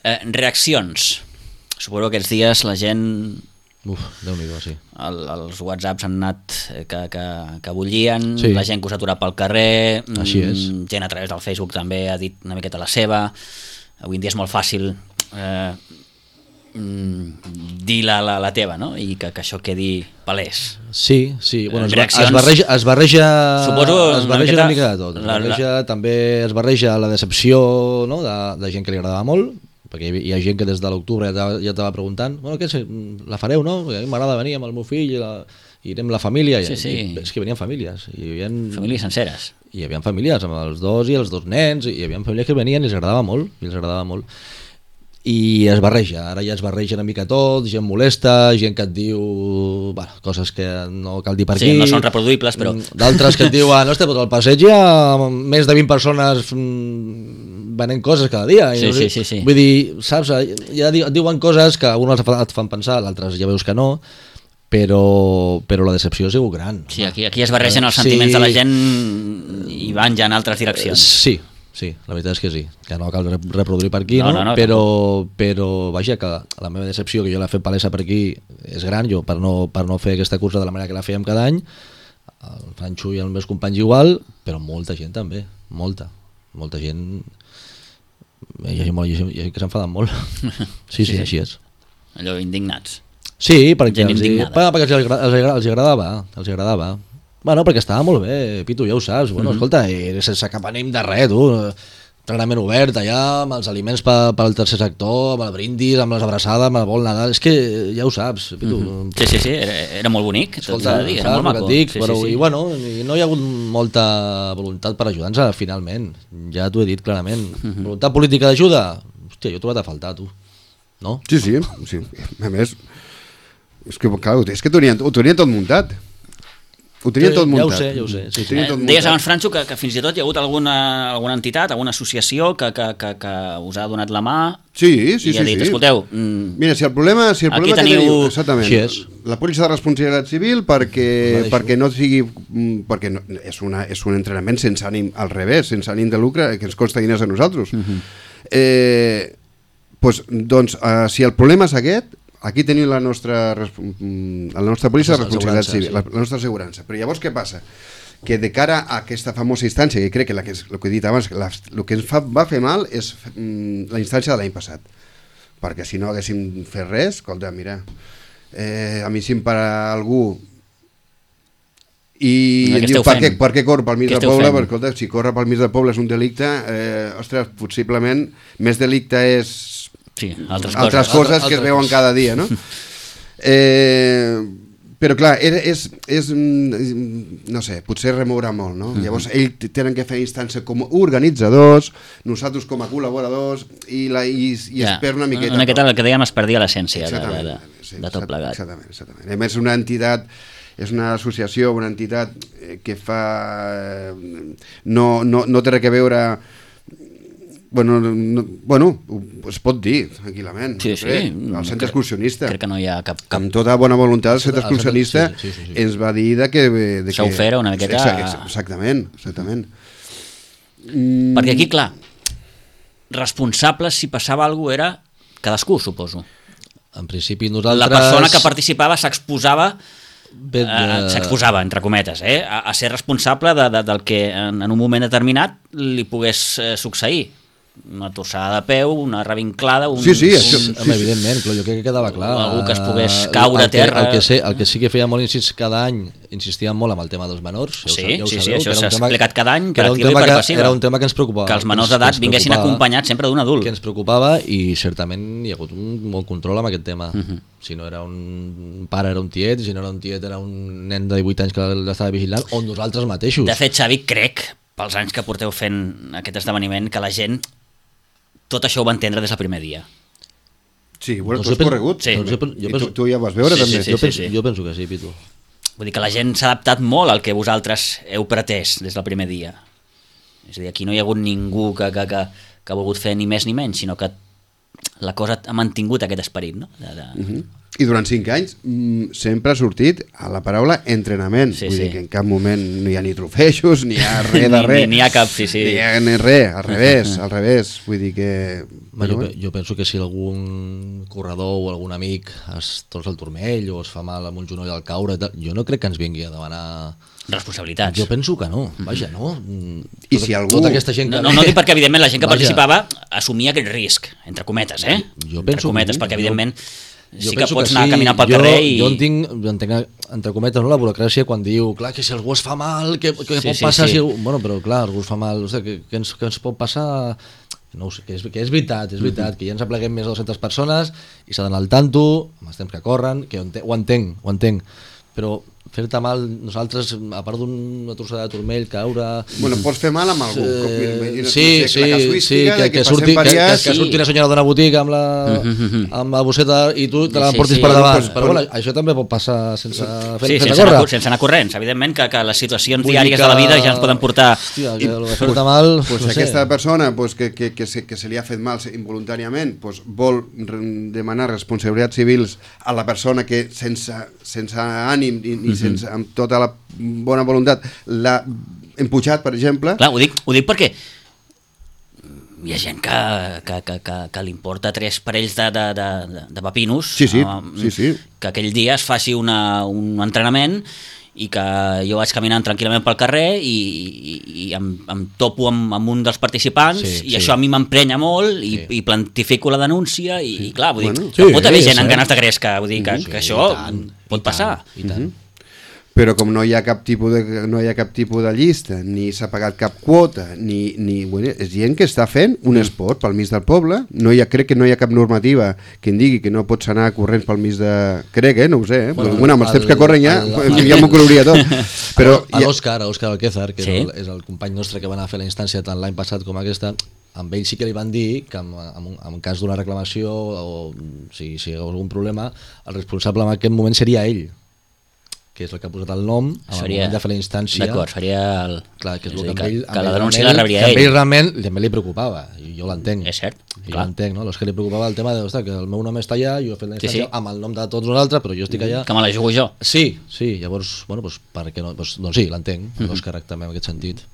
Speaker 1: Eh, reaccions. Suposo que aquests dies la gent...
Speaker 2: Uf, Déu-n'hi-do, sí.
Speaker 1: El, els whatsapps han anat eh, que, que, que bullien,
Speaker 2: Sí.
Speaker 1: la gent que us ha aturat pel carrer,
Speaker 2: Així és.
Speaker 1: mm, gent a través del Facebook també ha dit una miqueta la seva. Avui en dia és molt fàcil eh, mm, dir la, la, la teva, no? I que, que això quedi palès.
Speaker 2: Sí, sí, bueno, es, ba-
Speaker 1: Reaccions.
Speaker 2: es barreja, es barreja,
Speaker 1: Suposo
Speaker 2: es
Speaker 1: una
Speaker 2: barreja
Speaker 1: miqueta
Speaker 2: una mica de tot. Es
Speaker 1: la- la-
Speaker 2: barreja, també es barreja la decepció, no?, de, de gent que li agradava molt, perquè hi ha gent que des de l'octubre ja t'ava- ja t'ava preguntant, bueno, què, és, la fareu, no? Perquè a mi m'agrada venir amb el meu fill, i, la, i anem la família,
Speaker 1: Sí,
Speaker 2: i,
Speaker 1: sí.
Speaker 2: i és que venien famílies, i hi havia,
Speaker 1: Famílies senceres.
Speaker 2: hi havia famílies amb els dos i els dos nens, i hi havia famílies que venien i els agradava molt, i els agradava molt. I es barreja, ara ja es barreja una mica tot, gent molesta, gent que et diu bueno, coses que no cal dir per
Speaker 1: Sí,
Speaker 2: aquí.
Speaker 1: no són reproduïbles, però...
Speaker 2: D'altres que et diuen, hòstia, però al passeig hi ha més de vint persones mm, venent coses cada dia.
Speaker 1: Sí,
Speaker 2: I,
Speaker 1: sí, sí, sí.
Speaker 2: Vull dir, saps, ja et diuen coses que algunes et fan pensar, l'altres ja veus que no, però, però la decepció ha sigut gran.
Speaker 1: Sí, aquí, aquí es barregen els sentiments
Speaker 2: Sí.
Speaker 1: de la gent i van ja en altres direccions.
Speaker 2: Sí, sí, la veritat és que sí, que no cal rep- reproduir per aquí,
Speaker 1: No,
Speaker 2: no,
Speaker 1: no, no,
Speaker 2: però, però vaja, que la meva decepció, que jo l'he fet palesa per aquí, és gran, jo per no, per no fer aquesta cursa de la manera que la fèiem cada any, el Franxo i els meus companys igual, però molta gent també, molta, molta gent, hi ha gent, molt- hi ha gent, hi ha gent que s'enfaden molt. Sí, sí,
Speaker 1: Sí, sí.
Speaker 2: així és.
Speaker 1: Allò, indignats.
Speaker 2: Sí, perquè,
Speaker 1: Gent
Speaker 2: els,
Speaker 1: indignada.
Speaker 2: bueno, perquè els, agra- els, agra- els agradava, els agradava. Bueno, perquè estava molt bé, Pitu, ja ho saps. Bueno,
Speaker 1: Mhm.
Speaker 2: escolta, i sense cap ànim de res, tu. Entrenament obert allà, amb els aliments per, per al tercer sector, amb el brindis, amb les abraçades, amb el vol Nadal. És que ja ho saps, Pitu.
Speaker 1: Mhm. Sí, sí, sí, era, era molt bonic, tot s'ha de dir, era
Speaker 2: saps
Speaker 1: molt
Speaker 2: el
Speaker 1: maco.
Speaker 2: que et dic,
Speaker 1: Sí,
Speaker 2: però,
Speaker 1: sí, sí.
Speaker 2: I, bueno, i no hi ha hagut molta voluntat per ajudar-nos, finalment. Ja t'ho he dit clarament.
Speaker 1: Mhm.
Speaker 2: Voluntat política d'ajuda? Hòstia, jo he trobat a faltar, tu. No?
Speaker 3: Sí, sí, sí. A més, és que, clar, és que ho tenien, ho tenien tot muntat. Ho tenien tot
Speaker 2: Ja
Speaker 3: muntat.
Speaker 2: ho sé, ja ho sé. Sí,
Speaker 3: Ho
Speaker 2: sí.
Speaker 3: tenien
Speaker 1: Eh,
Speaker 3: tot
Speaker 1: deies
Speaker 3: muntat.
Speaker 1: abans, Franxo, que, que fins i tot hi ha hagut alguna, alguna entitat, alguna associació que, que, que, que us ha donat la mà
Speaker 3: Sí, sí,
Speaker 1: i
Speaker 3: sí.
Speaker 1: ha dit,
Speaker 3: sí.
Speaker 1: escolteu, mm,
Speaker 3: Mira, si el problema, si el
Speaker 1: Aquí
Speaker 3: problema
Speaker 1: teniu-
Speaker 3: que teniu, exactament,
Speaker 2: Així és.
Speaker 3: la pòlissa de responsabilitat civil perquè,
Speaker 2: Ho
Speaker 3: perquè no sigui mm, perquè no, és, una, és un entrenament sense ànim, al revés, sense ànim de lucre, que ens costa diners a nosaltres.
Speaker 1: Mhm.
Speaker 3: eh, pues, doncs, eh, si el problema és aquest, aquí tenim la nostra, res- mm, la nostra pòlissa de
Speaker 2: La nostra
Speaker 3: responsabilitat
Speaker 2: assegurança,
Speaker 3: civil,
Speaker 2: sí.
Speaker 3: la, la nostra assegurança. Però llavors què passa? Que de cara a aquesta famosa instància, que crec que, la que és, el que he dit abans, la, el que ens fa, va fer mal és mm, la instància de l'any passat, perquè si no haguéssim fet res, escolta, mira, eh, a mi si em para algú i
Speaker 1: Què
Speaker 3: em diu
Speaker 1: esteu
Speaker 3: per què,
Speaker 1: fent?
Speaker 3: per què corre pel mig
Speaker 1: Què
Speaker 3: del
Speaker 1: esteu
Speaker 3: poble,
Speaker 1: fent?
Speaker 3: perquè escolta, si corre pel mig del poble és un delicte, eh, ostres, possiblement més delicte és
Speaker 1: sí, altres,
Speaker 3: altres
Speaker 1: coses.
Speaker 3: coses que es
Speaker 2: Altres
Speaker 3: veuen
Speaker 2: coses.
Speaker 3: cada dia, no? eh, però clar, era, és, és, mm, no sé, potser remoure molt, no? Llavors ells tenen que fer instància com a organitzadors, nosaltres com a col·laboradors, i, la, i, i
Speaker 1: Ja,
Speaker 3: es perd una miqueta.
Speaker 1: Una miqueta
Speaker 3: tot.
Speaker 1: el que dèiem es perdia l'essència de, de,
Speaker 3: Exactament,
Speaker 1: de,
Speaker 3: sí,
Speaker 1: de tot plegat.
Speaker 3: Exactament, exactament. A més, una entitat, és una associació, una entitat eh, que fa... eh, no, no, no té res a veure Bueno, no, bueno, es pot dir, tranquil·lament.
Speaker 1: Sí, sí.
Speaker 3: El centre excursionista.
Speaker 1: Crec que no hi ha cap... cap...
Speaker 3: Amb tota bona voluntat, el centre excursionista
Speaker 2: sí, sí, sí, sí.
Speaker 3: ens va dir de que... De
Speaker 1: Això
Speaker 3: que...
Speaker 1: ho fera una miqueta...
Speaker 3: Exactament, exactament.
Speaker 1: Mm. Perquè aquí, clar, responsables si passava alguna cosa era cadascú, suposo.
Speaker 2: En principi nosaltres...
Speaker 1: La persona que participava s'exposava
Speaker 2: de...
Speaker 1: eh, s'exposava, entre cometes, eh, a, a ser responsable de, de, del que en, en un moment determinat li pogués eh, succeir. Una tossada de peu, una revinclada, un...
Speaker 3: Sí, sí,
Speaker 1: un,
Speaker 3: això...
Speaker 2: Sí, home, evidentment, però jo crec que quedava clar.
Speaker 1: Algú que es pogués caure
Speaker 2: el
Speaker 1: a terra...
Speaker 2: Que, el, que sé, el que sí que feia molt incís cada any, insistíem molt amb el tema dels menors. Ja
Speaker 1: sí,
Speaker 2: ja ho
Speaker 1: sí,
Speaker 2: sabeu,
Speaker 1: sí, això s'ha
Speaker 2: tema,
Speaker 1: explicat cada any,
Speaker 2: per
Speaker 1: per activa i per passiva.
Speaker 2: Era un tema que ens preocupava.
Speaker 1: Que els menors d'edat vinguessin acompanyats sempre d'un adult.
Speaker 2: Que ens preocupava i certament hi ha hagut un molt control amb aquest tema. Uh -huh. Si no era un pare era un tiet, si no era un tiet era un nen de divuit anys que l'estava vigilant, o nosaltres mateixos.
Speaker 1: De fet, Xavi, crec, pels anys que porteu fent aquest esdeveniment, que la gent tot això ho va entendre des del primer dia.
Speaker 3: Sí, bueno,
Speaker 2: No
Speaker 3: tu has
Speaker 2: sé,
Speaker 3: corregut.
Speaker 1: Sí.
Speaker 3: també.
Speaker 2: jo penso- jo
Speaker 3: I
Speaker 2: penso-
Speaker 3: tu, tu ja ho vas veure,
Speaker 1: Sí,
Speaker 3: també.
Speaker 1: sí, sí.
Speaker 2: jo, penso, jo penso que sí, Pitu.
Speaker 1: Vull dir que la gent s'ha adaptat molt al que vosaltres heu pretès des del primer dia. És a dir, aquí no hi ha hagut ningú que, que, que, que ha volgut fer ni més ni menys, sinó que la cosa ha mantingut aquest esperit, no? De, de...
Speaker 3: Uh -huh. I durant cinc anys mm, sempre ha sortit a la paraula entrenament.
Speaker 1: Sí,
Speaker 3: Vull
Speaker 1: sí.
Speaker 3: dir que en cap moment no hi ha ni trofeixos, ni hi ha res de
Speaker 1: Ni-
Speaker 3: res.
Speaker 1: ni- ni hi ha cap, sí, sí.
Speaker 3: Ni hi ha ni res, al revés, al revés. Vull dir que...
Speaker 2: Bueno, jo, jo penso que si algun corredor o algun amic es torça el turmell o es fa mal amb un genoll al caure, tal, jo no crec que ens vingui a demanar...
Speaker 1: Responsabilitats.
Speaker 2: Jo penso que no, vaja, no?
Speaker 3: I
Speaker 2: Tota-
Speaker 3: si algú-
Speaker 2: Tota aquesta gent que...
Speaker 1: No, no, no dic perquè, evidentment, la gent que
Speaker 2: Vaja.
Speaker 1: participava assumia aquest risc, entre cometes, eh?
Speaker 2: Jo
Speaker 1: entre
Speaker 2: penso
Speaker 1: cometes,
Speaker 2: que-
Speaker 1: perquè,
Speaker 2: jo-
Speaker 1: evidentment,
Speaker 2: Jo
Speaker 1: sí que
Speaker 2: penso
Speaker 1: pots
Speaker 2: que
Speaker 1: anar
Speaker 2: sí.
Speaker 1: caminant pel
Speaker 2: jo,
Speaker 1: carrer i...
Speaker 2: Jo entenc, jo entenc, entre cometes, no, la burocràcia quan diu, clar, que si algú es fa mal, què, què
Speaker 1: Sí,
Speaker 2: pot
Speaker 1: sí,
Speaker 2: passar?
Speaker 1: sí.
Speaker 2: Si... Bueno, però clar, algú es fa mal, o sigui, què, què, ens, què ens pot passar? No ho sé, que és, que és veritat, és veritat, que ja ens apleguem més de dues-centes persones i s'ha d'anar al tanto, amb els temps que corren, que ho entenc, ho entenc, ho entenc. Però fer-te mal, nosaltres, a part d'una trossada de turmell, caure...
Speaker 3: Bueno, pots fer mal amb algú.
Speaker 2: Eh,
Speaker 3: Com,
Speaker 2: sí, sí, sí, que, que, surti, que, que, que surti una senyora d'una botiga amb la, amb la bosseta i tu te la
Speaker 1: Sí,
Speaker 2: portis
Speaker 1: sí.
Speaker 2: per davant.
Speaker 3: Pues,
Speaker 2: Però bueno, això també pot passar sense fer
Speaker 1: Sí,
Speaker 2: sense
Speaker 1: sense anar,
Speaker 2: córrer.
Speaker 1: sense anar corrents. Evidentment que, que les situacions
Speaker 2: Vull dir
Speaker 1: diàries
Speaker 2: que-
Speaker 1: de la vida ja ens poden portar...
Speaker 2: Hòstia, que el de fer-te mal...
Speaker 3: Pues
Speaker 2: no sé.
Speaker 3: aquesta persona pues, que, que, que, se, que se li ha fet mal involuntàriament pues, vol re- demanar responsabilitats civils a la persona que sense, sense ànim i, i sense, amb tota la bona voluntat l'ha empujat, per exemple.
Speaker 1: Clar, ho dic, ho dic perquè hi ha gent que, que, que, que, que li importa tres parells de, de, de, de papinos
Speaker 3: Sí, sí,
Speaker 1: um,
Speaker 3: sí, sí.
Speaker 1: que aquell dia es faci una, un entrenament i que jo vaig caminant tranquil·lament pel carrer i, i, i em, em topo amb, amb un dels participants
Speaker 2: Sí,
Speaker 1: i
Speaker 2: sí.
Speaker 1: això a mi m'emprenya molt i,
Speaker 2: Sí.
Speaker 1: i plantifico la denúncia i, i clar, vull dir,
Speaker 3: Bueno.
Speaker 1: que
Speaker 2: Sí,
Speaker 1: pot haver
Speaker 2: és
Speaker 1: gent amb
Speaker 2: cert.
Speaker 1: ganes de gresca, vull dir que,
Speaker 2: Sí,
Speaker 1: que això
Speaker 2: i tant,
Speaker 1: pot
Speaker 2: i
Speaker 1: passar.
Speaker 2: tant, I tant.
Speaker 3: Però com no hi ha cap tipus de, no hi ha cap tipus de llista, ni s'ha pagat cap quota, ni, ni bueno, és gent que està fent un esport pel mig del poble. No hi ha, crec que no hi ha cap normativa que en digui que no pots anar corrents pel mig de... Crec, eh? No ho sé, eh?
Speaker 2: Bueno,
Speaker 3: Bueno, bueno amb els
Speaker 2: el-
Speaker 3: temps que corren ja,
Speaker 2: el-
Speaker 3: ja m'ho coloria tot. Però
Speaker 2: A
Speaker 3: ja,
Speaker 2: l'Òscar, a l'Òscar Alquézar, que
Speaker 1: Sí.
Speaker 2: és, el, és el company nostre que va anar a fer la instància tant l'any passat com aquesta, amb ell sí que li van dir que en, en, en cas d'una reclamació o si, si hi hagués algun problema, el responsable en aquest moment seria ell, que és el que ha posat el nom en el
Speaker 1: Seria-
Speaker 2: moment de fer la instància.
Speaker 1: D'acord, seria el...
Speaker 2: Clar, que és,
Speaker 1: és
Speaker 2: el
Speaker 1: a dir,
Speaker 2: que, amb ell,
Speaker 1: que
Speaker 2: amb
Speaker 1: la
Speaker 2: ell
Speaker 1: denúncia
Speaker 2: realment-
Speaker 1: la rebria
Speaker 2: que a
Speaker 1: ell.
Speaker 2: ell realment també li preocupava, i jo l'entenc.
Speaker 1: És cert,
Speaker 2: I jo
Speaker 1: clar.
Speaker 2: l'entenc, no? És que li preocupava el tema de, ostres, que el meu nom està allà, jo he fet la
Speaker 1: Sí,
Speaker 2: instància
Speaker 1: sí.
Speaker 2: amb el nom de tots nosaltres, però jo estic allà.
Speaker 1: Que me la jugo jo.
Speaker 2: Sí, sí, llavors, bueno, doncs, per què no? Doncs, doncs sí, l'entenc, l'Òscar també en aquest sentit.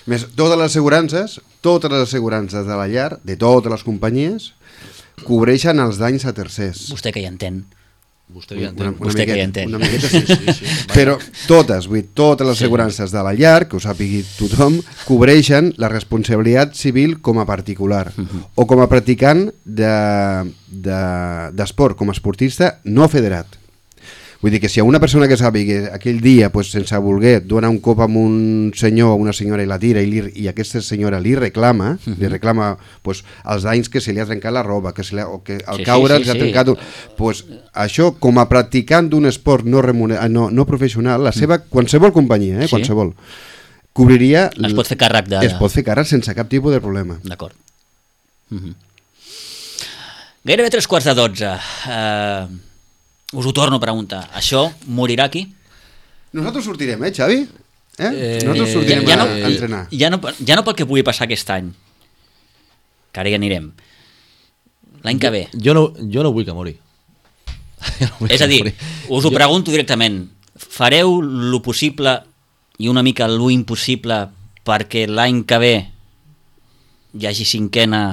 Speaker 3: més, totes les assegurances, totes les assegurances de la llar, de totes les companyies, cobreixen els danys a tercers.
Speaker 1: Vostè que hi entén.
Speaker 2: Vostè ja
Speaker 3: Una,
Speaker 2: entén.
Speaker 3: una
Speaker 1: Vostè que
Speaker 3: miqueta,
Speaker 1: hi entén.
Speaker 3: una miqueta sí,
Speaker 2: Sí, sí, vaja.
Speaker 3: però totes, vull dir, totes les assegurances de la llar, que ho sàpigui tothom, cobreixen la responsabilitat civil com a particular o com a practicant d'esport, de, de, com a esportista no federat. Vull dir que si hi ha una persona que sàpiga que aquell dia, pues, sense voler, dona un cop amb un senyor o una senyora i la tira i, li, i aquesta senyora li reclama, uh -huh. li reclama pues, els danys que se li ha trencat la roba, que se li ha, o que al
Speaker 1: Sí,
Speaker 3: caure
Speaker 1: sí, sí,
Speaker 3: li ha
Speaker 1: sí.
Speaker 3: trencat... Un, pues, això, com a practicant d'un esport no, remuner, no, no professional, la seva, qualsevol companyia, eh,
Speaker 1: Sí.
Speaker 3: qualsevol, cobriria...
Speaker 1: Es pot fer càrrec de...
Speaker 3: Es pot fer càrrec sense cap tipus de problema.
Speaker 1: D'acord. Uh -huh. Gairebé tres quarts de dotze. Uh, us ho torno a preguntar. Això morirà aquí?
Speaker 3: Nosaltres sortirem, eh, Xavi? Eh?
Speaker 2: Eh,
Speaker 3: Nosaltres sortirem
Speaker 1: ja
Speaker 3: a,
Speaker 1: no-
Speaker 3: a entrenar.
Speaker 1: Ja no, ja no pel que pugui passar aquest any, que ara hi anirem. L'any que ve.
Speaker 2: Jo no, jo no vull que mori. No
Speaker 1: és a dir, us ho jo... pregunto directament, fareu lo possible i una mica lo impossible perquè l'any que ve hi hagi cinquena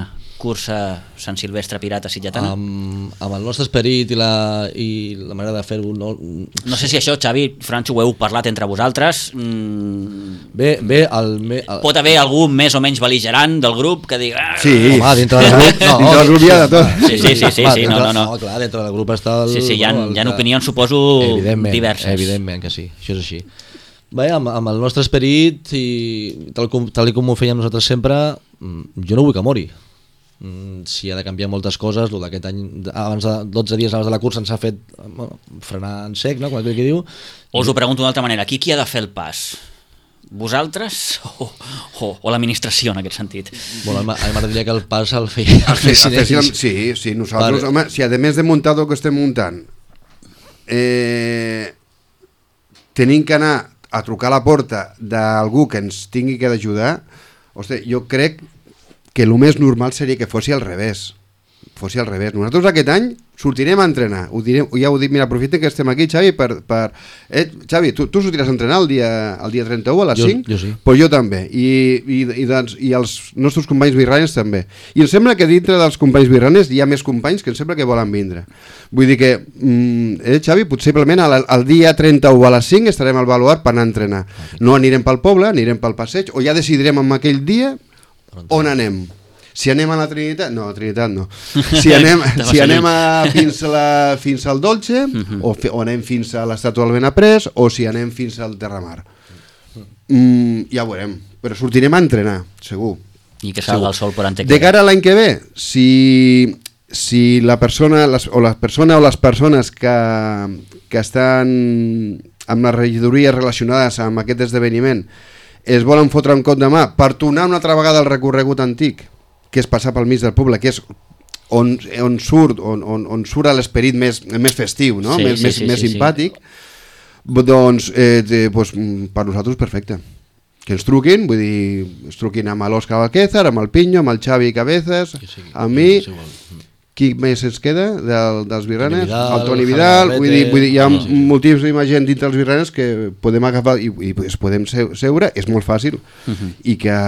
Speaker 1: cursa Sant Silvestre Pirata Sitgetana?
Speaker 2: Amb, amb el nostre esperit i la, i la manera de fer-ho... No...
Speaker 1: no sé si això, Xavi, Francho, ho heu parlat entre vosaltres. Mm...
Speaker 2: Bé, bé, el, el...
Speaker 1: Pot haver algú més o menys bel·ligerant del grup que digui... Ah,
Speaker 3: sí,
Speaker 2: home, dintre del grup... No,
Speaker 3: dintre del grup hi ha de tot.
Speaker 1: Sí, sí, sí, sí, sí, no, no, no.
Speaker 2: no, clar, dintre del grup està el...
Speaker 1: Sí, sí, hi ha,
Speaker 2: no, el,
Speaker 1: hi ha opinions, suposo,
Speaker 2: evidentment,
Speaker 1: diverses.
Speaker 2: Evidentment que sí, això és així. Bé, amb, amb el nostre esperit i tal com, tal com ho fèiem nosaltres sempre, jo no vull que mori. Si ha de canviar moltes coses, el d'aquest any, abans de dotze dies abans de la cursa ens ha fet bueno, frenar en sec, no? Com aquell que diu.
Speaker 1: O us ho pregunto d'una altra manera, qui, qui ha de fer el pas? Vosaltres o, o, o l'administració en aquest sentit?
Speaker 2: Bueno, a mi m'agradaria que el pas el feia el fessin ells.
Speaker 3: Sí, sí, nosaltres, vale. Home, si a més de muntar el que estem muntant eh, tenim que anar a trucar a la porta d'algú que ens tingui que d'ajudar, ostres, jo crec que el més normal seria que fossi al revés. Fossi al revés. Nosaltres aquest any sortirem a entrenar. Ho direm, ja ho dic, mira, aprofiten que estem aquí, Xavi, per... per... Eh, Xavi, tu, tu sortiràs a entrenar el dia, el dia trenta-u a les
Speaker 2: jo,
Speaker 3: cinc?
Speaker 2: Jo sí.
Speaker 3: Pues jo també. I, i, i, doncs, I els nostres companys birranes també. I em sembla que dintre dels companys birranes hi ha més companys que em sembla que volen vindre. Vull dir que, mm, eh, Xavi, possiblement el, el dia trenta-u a les cinc estarem al Baluard per anar a entrenar. No anirem pel poble, anirem pel passeig, o ja decidirem en aquell dia on anem. Si anem a la Trinitat, no, a Trinitat no. Si anem, si anem a, fins, a la, fins al Dolce, uh-huh. o, fi, o anem fins a l'Estàtua del Benaprés, o si anem fins al Terramar. Mm, ja ho veurem, però sortirem a entrenar, segur.
Speaker 1: I que salga el sol per Antec.
Speaker 3: De cara a l'any que ve, si, si la persona les, o la persona o les persones que, que estan amb les regidories relacionades amb aquest esdeveniment es volen fotre un cop de mà per tornar una altra vegada al recorregut antic, que és passar pel mig del poble, que és on, on surt on, on, on surt l'esperit més, més festiu, no?
Speaker 1: Sí,
Speaker 3: més,
Speaker 1: sí,
Speaker 3: més,
Speaker 1: sí,
Speaker 3: més
Speaker 1: sí,
Speaker 3: simpàtic, sí. Doncs, eh, de, doncs per nosaltres perfecte. Que ens truquin, vull dir, ens truquin amb l'Òscar Alquézar, amb el Pinyo, amb el Xavi Cabezas, sí, amb mi... Qui més ens queda del, dels birranes? Vidal, el Toni Vidal, vull dir, vull dir, hi ha no, sí, sí. moltíssima gent dintre dels birranes que podem agafar i, i es podem seure, és molt fàcil, uh-huh. i que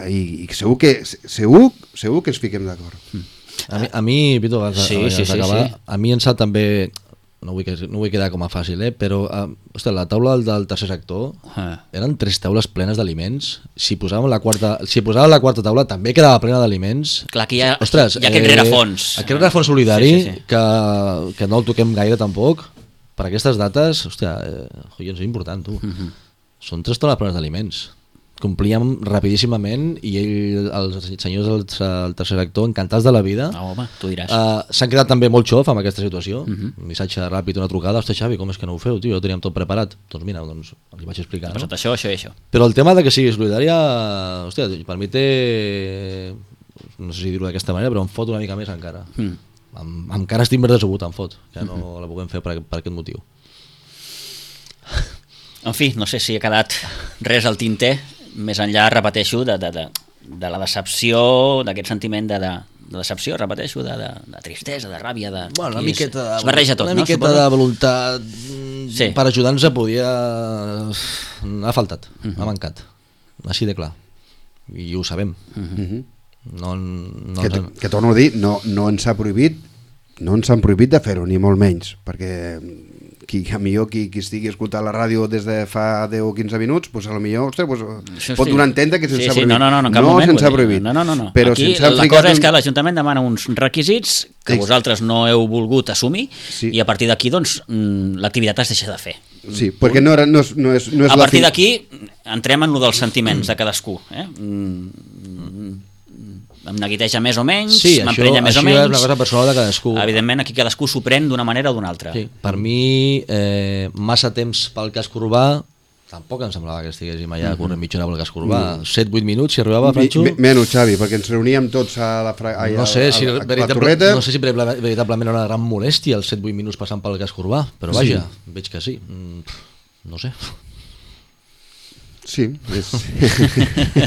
Speaker 3: i, i segur que segur, segur que ens fiquem d'acord. Uh-huh.
Speaker 2: A mi, a mi Vito, abans
Speaker 1: sí, sí, sí,
Speaker 2: d'acabar,
Speaker 1: sí.
Speaker 2: a mi em sap també, no vull, que, no vull quedar com a fàcil, eh? Però uh, ostres, la taula del tercer sector uh. eren tres taules plenes d'aliments. Si posàvem la quarta, si posàvem la quarta taula també quedava plena d'aliments.
Speaker 1: Clar, que hi ha, ostres, hi ha aquest rerefons.
Speaker 2: Eh, aquest rerefons solidari, sí, sí, sí. Que, que no el toquem gaire tampoc, per aquestes dates, hòstia, eh, és important, tu. Uh-huh. Són tres taules plenes d'aliments. Complíem rapidíssimament i ell, els senyors del, del tercer sector, encantats de la vida.
Speaker 1: No, home, tu diràs.
Speaker 2: Uh, s'han quedat també molt xof amb aquesta situació. Uh-huh. Un missatge ràpid, una trucada. Ostres, Xavi, com és que no ho feu, tio? Jo teníem tot preparat. Doncs mira, doncs, els vaig explicar.
Speaker 1: No? Això, això i això.
Speaker 2: Però el tema de que sigui solidària, hòstia, per mi té... No sé si dir-ho d'aquesta manera, però em fot una mica més encara. Mm. Em, encara estic més decebut, em fot, que no mm-hmm. la puguem fer per, per aquest motiu.
Speaker 1: En fi, no sé si ha quedat res al tinter. Més enllà, repeteixo, de, de, de, de la decepció, d'aquest sentiment de, de, de decepció, repeteixo, de, de, de tristesa, de ràbia, de...
Speaker 2: Bueno, una miqueta de,
Speaker 1: es barreja tot,
Speaker 2: una
Speaker 1: no?
Speaker 2: miqueta
Speaker 1: Suposo?
Speaker 2: de voluntat
Speaker 1: sí.
Speaker 2: Per ajudar-nos a podia... Ha faltat, uh-huh. ha mancat, així de clar. I ho sabem. Uh-huh. No, no
Speaker 3: que, que torno a dir, no, no ens ha prohibit, no ens han prohibit de fer-ho, ni molt menys, perquè... Qui, a millor qui, qui estigui escoltant la ràdio des de fa deu o quinze minuts, pues a lo millor, ostres, pues, sí, pot donar a entendre que se'ns
Speaker 1: sí,
Speaker 3: ha
Speaker 1: sí,
Speaker 3: prohibit.
Speaker 1: No, no, no, no,
Speaker 3: no
Speaker 1: moment,
Speaker 3: se'ns ha prohibit.
Speaker 1: No, no, no, no.
Speaker 3: Però
Speaker 1: aquí
Speaker 3: la
Speaker 1: cosa
Speaker 3: un...
Speaker 1: és que l'Ajuntament demana uns requisits que sí. vosaltres no heu volgut assumir sí. i a partir d'aquí doncs, l'activitat es deixa de fer.
Speaker 3: Sí, perquè no, era, no, és, no és, no és
Speaker 1: a partir
Speaker 3: fi...
Speaker 1: d'aquí entrem en lo dels sentiments de cadascú. Eh? Mm, em neguiteja més o menys,
Speaker 2: sí,
Speaker 1: m'emprenya més o menys.
Speaker 2: Això és una cosa personal de cadascú.
Speaker 1: Evidentment, aquí cadascú s'ho pren d'una manera o d'una altra.
Speaker 2: Sí. Per mi, eh, massa temps pel casc urbà, tampoc em semblava que estiguéssim allà mm-hmm. corrent mitja hora pel casc urbà. Mm. set vuit minuts, si arribava, Franxo...
Speaker 3: Menys, Xavi, perquè ens reuníem tots a la, fra... allà,
Speaker 2: no sé si,
Speaker 3: a, a, a
Speaker 2: veritable, no sé si veritablement era una gran molèstia els set vuit minuts passant pel casc urbà, però vaja, sí. veig que sí. Mm, no sé...
Speaker 3: Sí, és,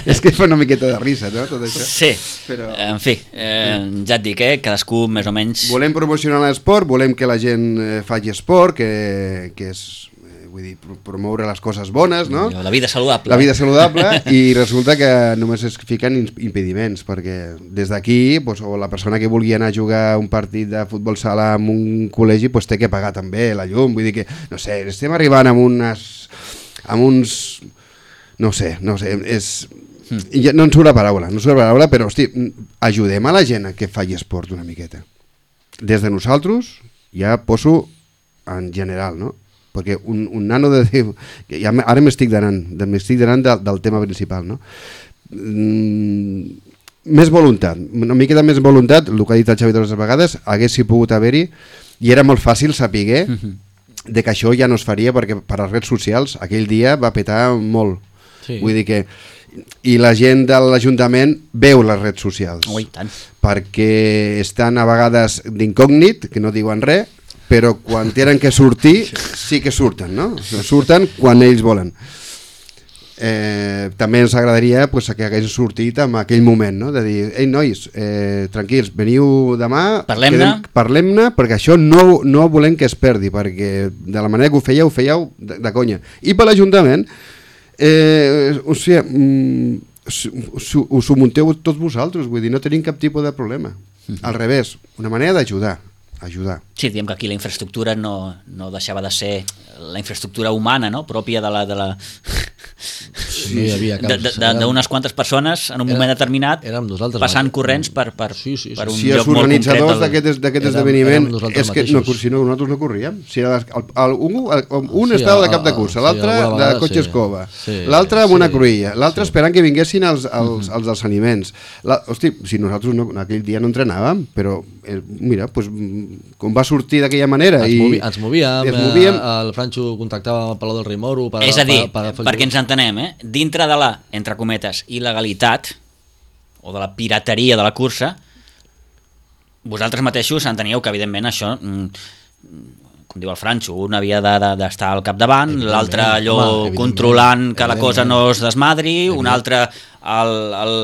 Speaker 3: és que fa una miqueta de risa, no, tot això.
Speaker 1: Sí,
Speaker 3: Però...
Speaker 1: en fi, eh, ja et dic, eh, cadascú més o menys...
Speaker 3: Volem promocionar l'esport, volem que la gent eh, faci esport, que, que és, eh, vull dir, promoure les coses bones, no?
Speaker 1: La vida saludable.
Speaker 3: La vida saludable, i resulta que només es fiquen impediments, perquè des d'aquí, pues, o la persona que vulgui anar a jugar un partit de futbol sala en un col·legi, pues, té que pagar també la llum, vull dir que, no sé, estem arribant amb unes... amb uns... no sé, no sé, és... ja no en surt la paraula, no surt la paraula, però, hosti, ajudem a la gent a que faci esport una miqueta. Des de nosaltres, ja poso en general, no? Perquè un, un nano de... Ja, ara m'estic donant, m'estic donant del, del tema principal, no? Mm, més voluntat, una miqueta més voluntat, el que ha dit el Xavi de les vegades, haguessi pogut haver-hi, i era molt fàcil saber de que això ja no es faria, perquè per les redes socials aquell dia va petar molt. Sí. Vull dir que... I la gent de l'Ajuntament veu les redes socials.
Speaker 1: Ui, tant.
Speaker 3: Perquè estan a vegades d'incògnit, que no diuen res, però quan tenen que sortir, sí que surten, no? Surten quan ells volen. Eh, també ens agradaria pues, que hagués sortit en aquell moment, no? De dir, ei nois, eh, tranquils, veniu demà,
Speaker 1: parlem-ne,
Speaker 3: parlem-ne, perquè això no, no volem que es perdi, perquè de la manera que ho fèieu, ho fèieu de, de conya. I per l'Ajuntament, eh, o sigui, mm, us ho munteu tots vosaltres, vull dir, no tenim cap tipus de problema. Al revés, una manera d'ajudar. ajudar.
Speaker 1: Sí, diem que aquí la infraestructura no, no deixava de ser la infraestructura humana, no? Pròpia de la... De la...
Speaker 2: Sí,
Speaker 1: d'unes quantes persones en un moment determinat passant corrents per, per,
Speaker 3: sí, sí, sí.
Speaker 1: per un
Speaker 3: si
Speaker 1: lloc molt concret.
Speaker 3: Si els organitzadors d'aquest esdeveniment és que no, si no, nosaltres no corríem. Si era el, el, un el, un sí, estava de cap de cursa, l'altre sí, de cotxe sí. escova, sí, l'altre amb sí, una cruïlla, l'altre sí. esperant que vinguessin els, els, els dels aliments. La, hosti, si nosaltres no, aquell dia no entrenàvem, però eh, mira, pues, com va sortir d'aquella manera
Speaker 2: ens,
Speaker 3: i
Speaker 2: movi, ens movíem, ens movíem. Eh, el Franxo contactava amb el Palau del Rei Moro per,
Speaker 1: és a dir,
Speaker 2: per, per, per
Speaker 1: perquè ens entenem, eh? Dintre de la, entre cometes, il·legalitat o de la pirateria de la cursa, vosaltres mateixos enteníeu que evidentment això, com diu el Franxo, un havia d'estar de, de, al capdavant, l'altre allò home, controlant que la cosa no es desmadri, un altre el, el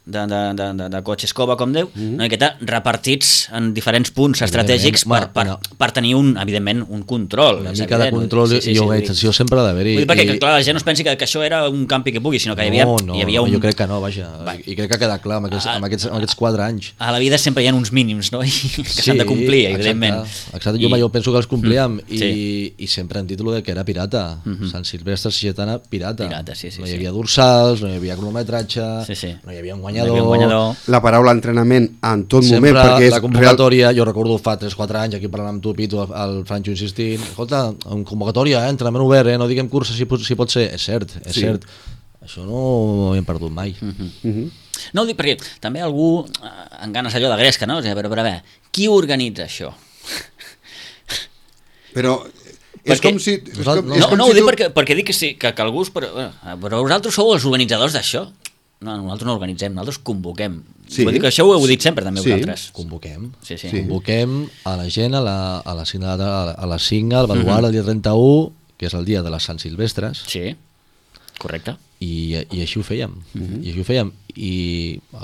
Speaker 1: de, de, de, de, de cotxe escova, com Déu, mm-hmm. una miqueta repartits en diferents punts estratègics per, per, no. per tenir, un, evidentment, un control.
Speaker 2: Una mica evident. De control sí, sí, i organització sí, sempre ha d'haver-hi.
Speaker 1: Vull dir, perquè, I... clar, la gent no es pensi que, que això era un campi que pugui, sinó que hi havia,
Speaker 2: no, no,
Speaker 1: hi havia un...
Speaker 2: jo crec que no, vaja. Va. I crec que ha quedat clar amb aquests, amb aquests, amb aquests quatre anys.
Speaker 1: A la vida sempre hi ha uns mínims, no? I que s'han sí, de complir, evidentment.
Speaker 2: Exacte, exacte. jo, I... jo penso que els complíem mm, i, sí. i sempre en títol de que era pirata. Mm-hmm. Sant Silvestre Sixetana, pirata.
Speaker 1: pirata sí, sí,
Speaker 2: no hi
Speaker 1: havia
Speaker 2: sí. dorsals, no hi havia cronometratge, sí, sí. no hi havia un guanyador.
Speaker 1: No hi havia un guanyador.
Speaker 3: La paraula entrenament en tot
Speaker 2: sempre
Speaker 3: moment, perquè és
Speaker 2: la convocatòria, real... jo recordo fa tres quatre anys aquí parlant amb tu, Pitu, el Franxo insistint, escolta, en convocatòria, eh, entrenament obert, eh, no diguem cursa si, si pot ser, és cert, és sí. cert, això no ho hem perdut mai.
Speaker 1: Uh-huh. Uh-huh. No ho dic perquè també algú en ganes allò de gresca, no? O sigui, però, però a veure, qui organitza això?
Speaker 3: Però... És perquè, com si, és com,
Speaker 1: no,
Speaker 3: és
Speaker 1: com
Speaker 3: no
Speaker 1: si
Speaker 3: ho
Speaker 1: dic
Speaker 3: tu...
Speaker 1: perquè, perquè dic que sí, que, que algú... Però, però vosaltres sou els organitzadors d'això? No, nosaltres no organitzem, nosaltres convoquem. Sí. Vull dir que això ho heu dit sempre també sí. vosaltres.
Speaker 2: Convoquem.
Speaker 1: Sí, sí.
Speaker 2: Sí. Convoquem a la gent a la, a la cinc, a la cinc al Baluard, uh-huh. el dia trenta-u, que és el dia de les Sant Silvestres.
Speaker 1: Sí, correcte.
Speaker 2: I, i així ho fèiem. Uh-huh. I així ho fèiem. I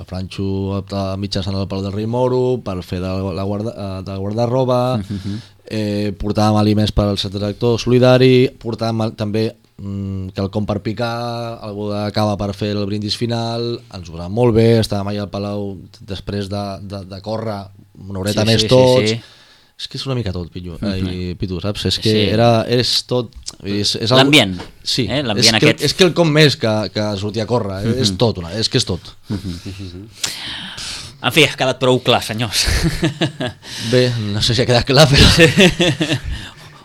Speaker 2: el Franxo mitjançant el Palau del Rei Moro per fer de, la guarda, de guarda-roba, uh-huh. eh, portàvem aliments per al centre d'actor solidari, portàvem també que el com per picar, algú de cava per fer el brindis final, ens ho anava molt bé, estàvem allà al Palau després de, de, de córrer una horeta sí, més sí, tots, sí, sí. És que és una mica tot, Pitu, mm-hmm. eh, Pitu saps? És que sí. era, és tot... És, és
Speaker 1: l'ambient,
Speaker 2: sí,
Speaker 1: eh? L'ambient
Speaker 2: és,
Speaker 1: aquest.
Speaker 2: Que, és que el com més que, que sortir a córrer, mm-hmm. és tot, una, és que és tot.
Speaker 1: Mm-hmm. En fi, ha quedat prou clar, senyors.
Speaker 2: Bé, no sé si ha quedat clar, però...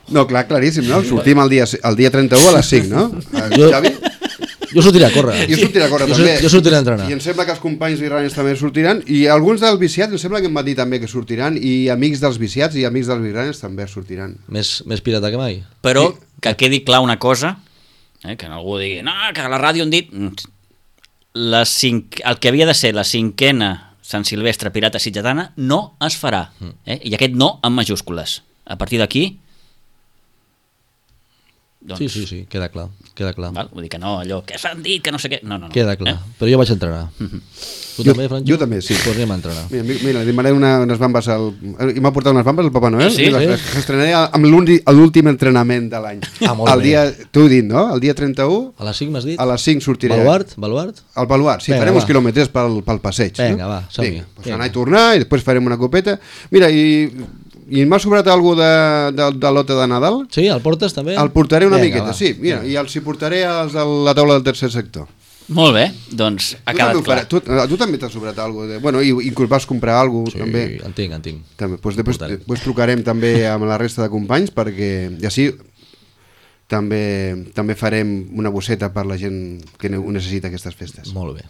Speaker 3: No, clar, claríssim, no? Sortim el dia, el dia trenta-u a les cinc, no?
Speaker 2: Jo, jo sortiré a córrer.
Speaker 3: Jo sortiré a córrer,
Speaker 2: jo,
Speaker 3: també.
Speaker 2: Jo sortiré a entrenar.
Speaker 3: I em sembla que els companys birranes també sortiran, i alguns dels viciats em sembla que em van dir també que sortiran, i amics dels viciats i amics dels birranes també sortiran.
Speaker 2: Més, més pirata que mai.
Speaker 1: Però que quedi clar una cosa, eh, que algú digui, no, que a la ràdio han dit... La cinc... El que havia de ser la cinquena Sant Silvestre Pirata Sitgetana no es farà. Eh? I aquest no en majúscules. A partir d'aquí... Doncs,
Speaker 2: Sí, sí, sí, queda clar, queda clar.
Speaker 1: val? Vull dir que no, allò, que s'han dit, que no sé què... No, no, no.
Speaker 2: Queda clar,
Speaker 1: Eh?
Speaker 2: però jo vaig entrenar.
Speaker 1: Mhm.
Speaker 2: Tu
Speaker 3: Jo-
Speaker 2: també, Franjo?
Speaker 3: jo també, sí.
Speaker 2: Pues anem a entrenar.
Speaker 3: Mira, mi- mira, li demanaré una, unes bambes al... I m'ha portat unes bambes al Papa Noel.
Speaker 1: Sí,
Speaker 3: I les,
Speaker 2: sí.
Speaker 3: les estrenaré amb l'últim l'últim entrenament de l'any.
Speaker 2: Ah, molt
Speaker 3: El
Speaker 2: bé.
Speaker 3: dia, t'ho he dit, no? El dia trenta-u,
Speaker 2: A les cinc m'has dit?
Speaker 3: a les cinc sortiré.
Speaker 2: Baluart? Baluart?
Speaker 3: Al Baluart, sí,
Speaker 2: Vinga,
Speaker 3: farem
Speaker 2: va.
Speaker 3: uns quilòmetres pel, pel passeig.
Speaker 2: Vinga,
Speaker 3: no?
Speaker 2: va, som-hi.
Speaker 3: Vinga, doncs
Speaker 2: Vinga.
Speaker 3: anar i tornar i després farem una copeta. Mira, i, i m'ha sobrat alguna de, de, de l'ota de Nadal?
Speaker 2: Sí, el portes també?
Speaker 3: El portaré una
Speaker 2: Vinga,
Speaker 3: miqueta,
Speaker 2: va.
Speaker 3: sí. Mira, i els hi portaré als de la taula del tercer sector.
Speaker 1: Molt bé, doncs ha
Speaker 3: Tu
Speaker 1: quedat
Speaker 3: també, ho
Speaker 1: clar.
Speaker 3: faràs, tu, a tu també t'ha sobrat alguna cosa. Bueno, i, i vas comprar alguna cosa,
Speaker 2: Sí,
Speaker 3: també.
Speaker 2: en tinc, en tinc.
Speaker 3: També. Pues després,
Speaker 2: Portaré.
Speaker 3: després trucarem també amb la resta de companys perquè i així també, també farem una bosseta per la gent que ne- ho necessita aquestes festes.
Speaker 2: Molt bé.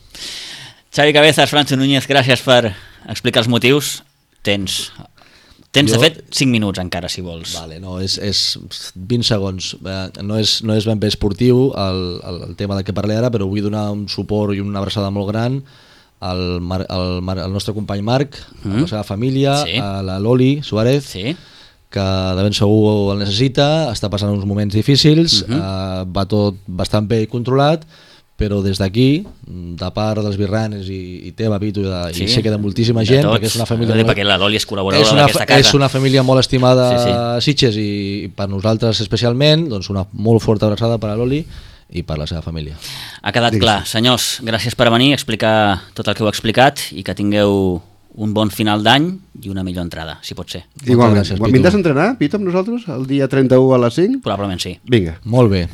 Speaker 1: Xavi Cabezas, Francho Núñez, gràcies per explicar els motius. Tens, tens
Speaker 2: Jo-
Speaker 1: de fet, cinc minuts encara, si vols.
Speaker 2: Vale, no, és, és vint segons. Eh, No és, no és ben bé esportiu el, el, el tema del que parlé ara, però vull donar un suport i una abraçada molt gran al, Mar, al, Mar, al nostre company Marc, mm. a la seva família,
Speaker 1: Sí.
Speaker 2: a la Loli Suárez,
Speaker 1: Sí?
Speaker 2: que de ben segur el necessita, està passant uns moments difícils,
Speaker 1: Mhm.
Speaker 2: eh, va tot bastant bé i controlat, però des d'aquí, de part dels birranes i, i teva, Pitu, i, de,
Speaker 1: Sí,
Speaker 2: i sé que de moltíssima
Speaker 1: de
Speaker 2: gent,
Speaker 1: tots.
Speaker 2: perquè és una família...
Speaker 1: Ho dic
Speaker 2: molt-
Speaker 1: perquè la Loli és
Speaker 2: és
Speaker 1: col·laboradora
Speaker 2: una,
Speaker 1: d'aquesta casa.
Speaker 2: és una família molt estimada
Speaker 1: Sí, sí.
Speaker 2: a Sitges i, i per nosaltres especialment, doncs una molt forta abraçada per a l'Oli i per la seva família.
Speaker 1: Ha quedat
Speaker 3: Digues.
Speaker 1: clar. Senyors, gràcies per venir, explicar tot el que heu explicat i que tingueu un bon final d'any i una millor entrada, si pot ser.
Speaker 3: Igualment.
Speaker 2: gràcies, Pitu.
Speaker 3: Vindràs a entrenar, Pitu, amb nosaltres, el dia trenta-u a les cinc?
Speaker 1: Probablement sí.
Speaker 3: Vinga.
Speaker 2: Molt bé.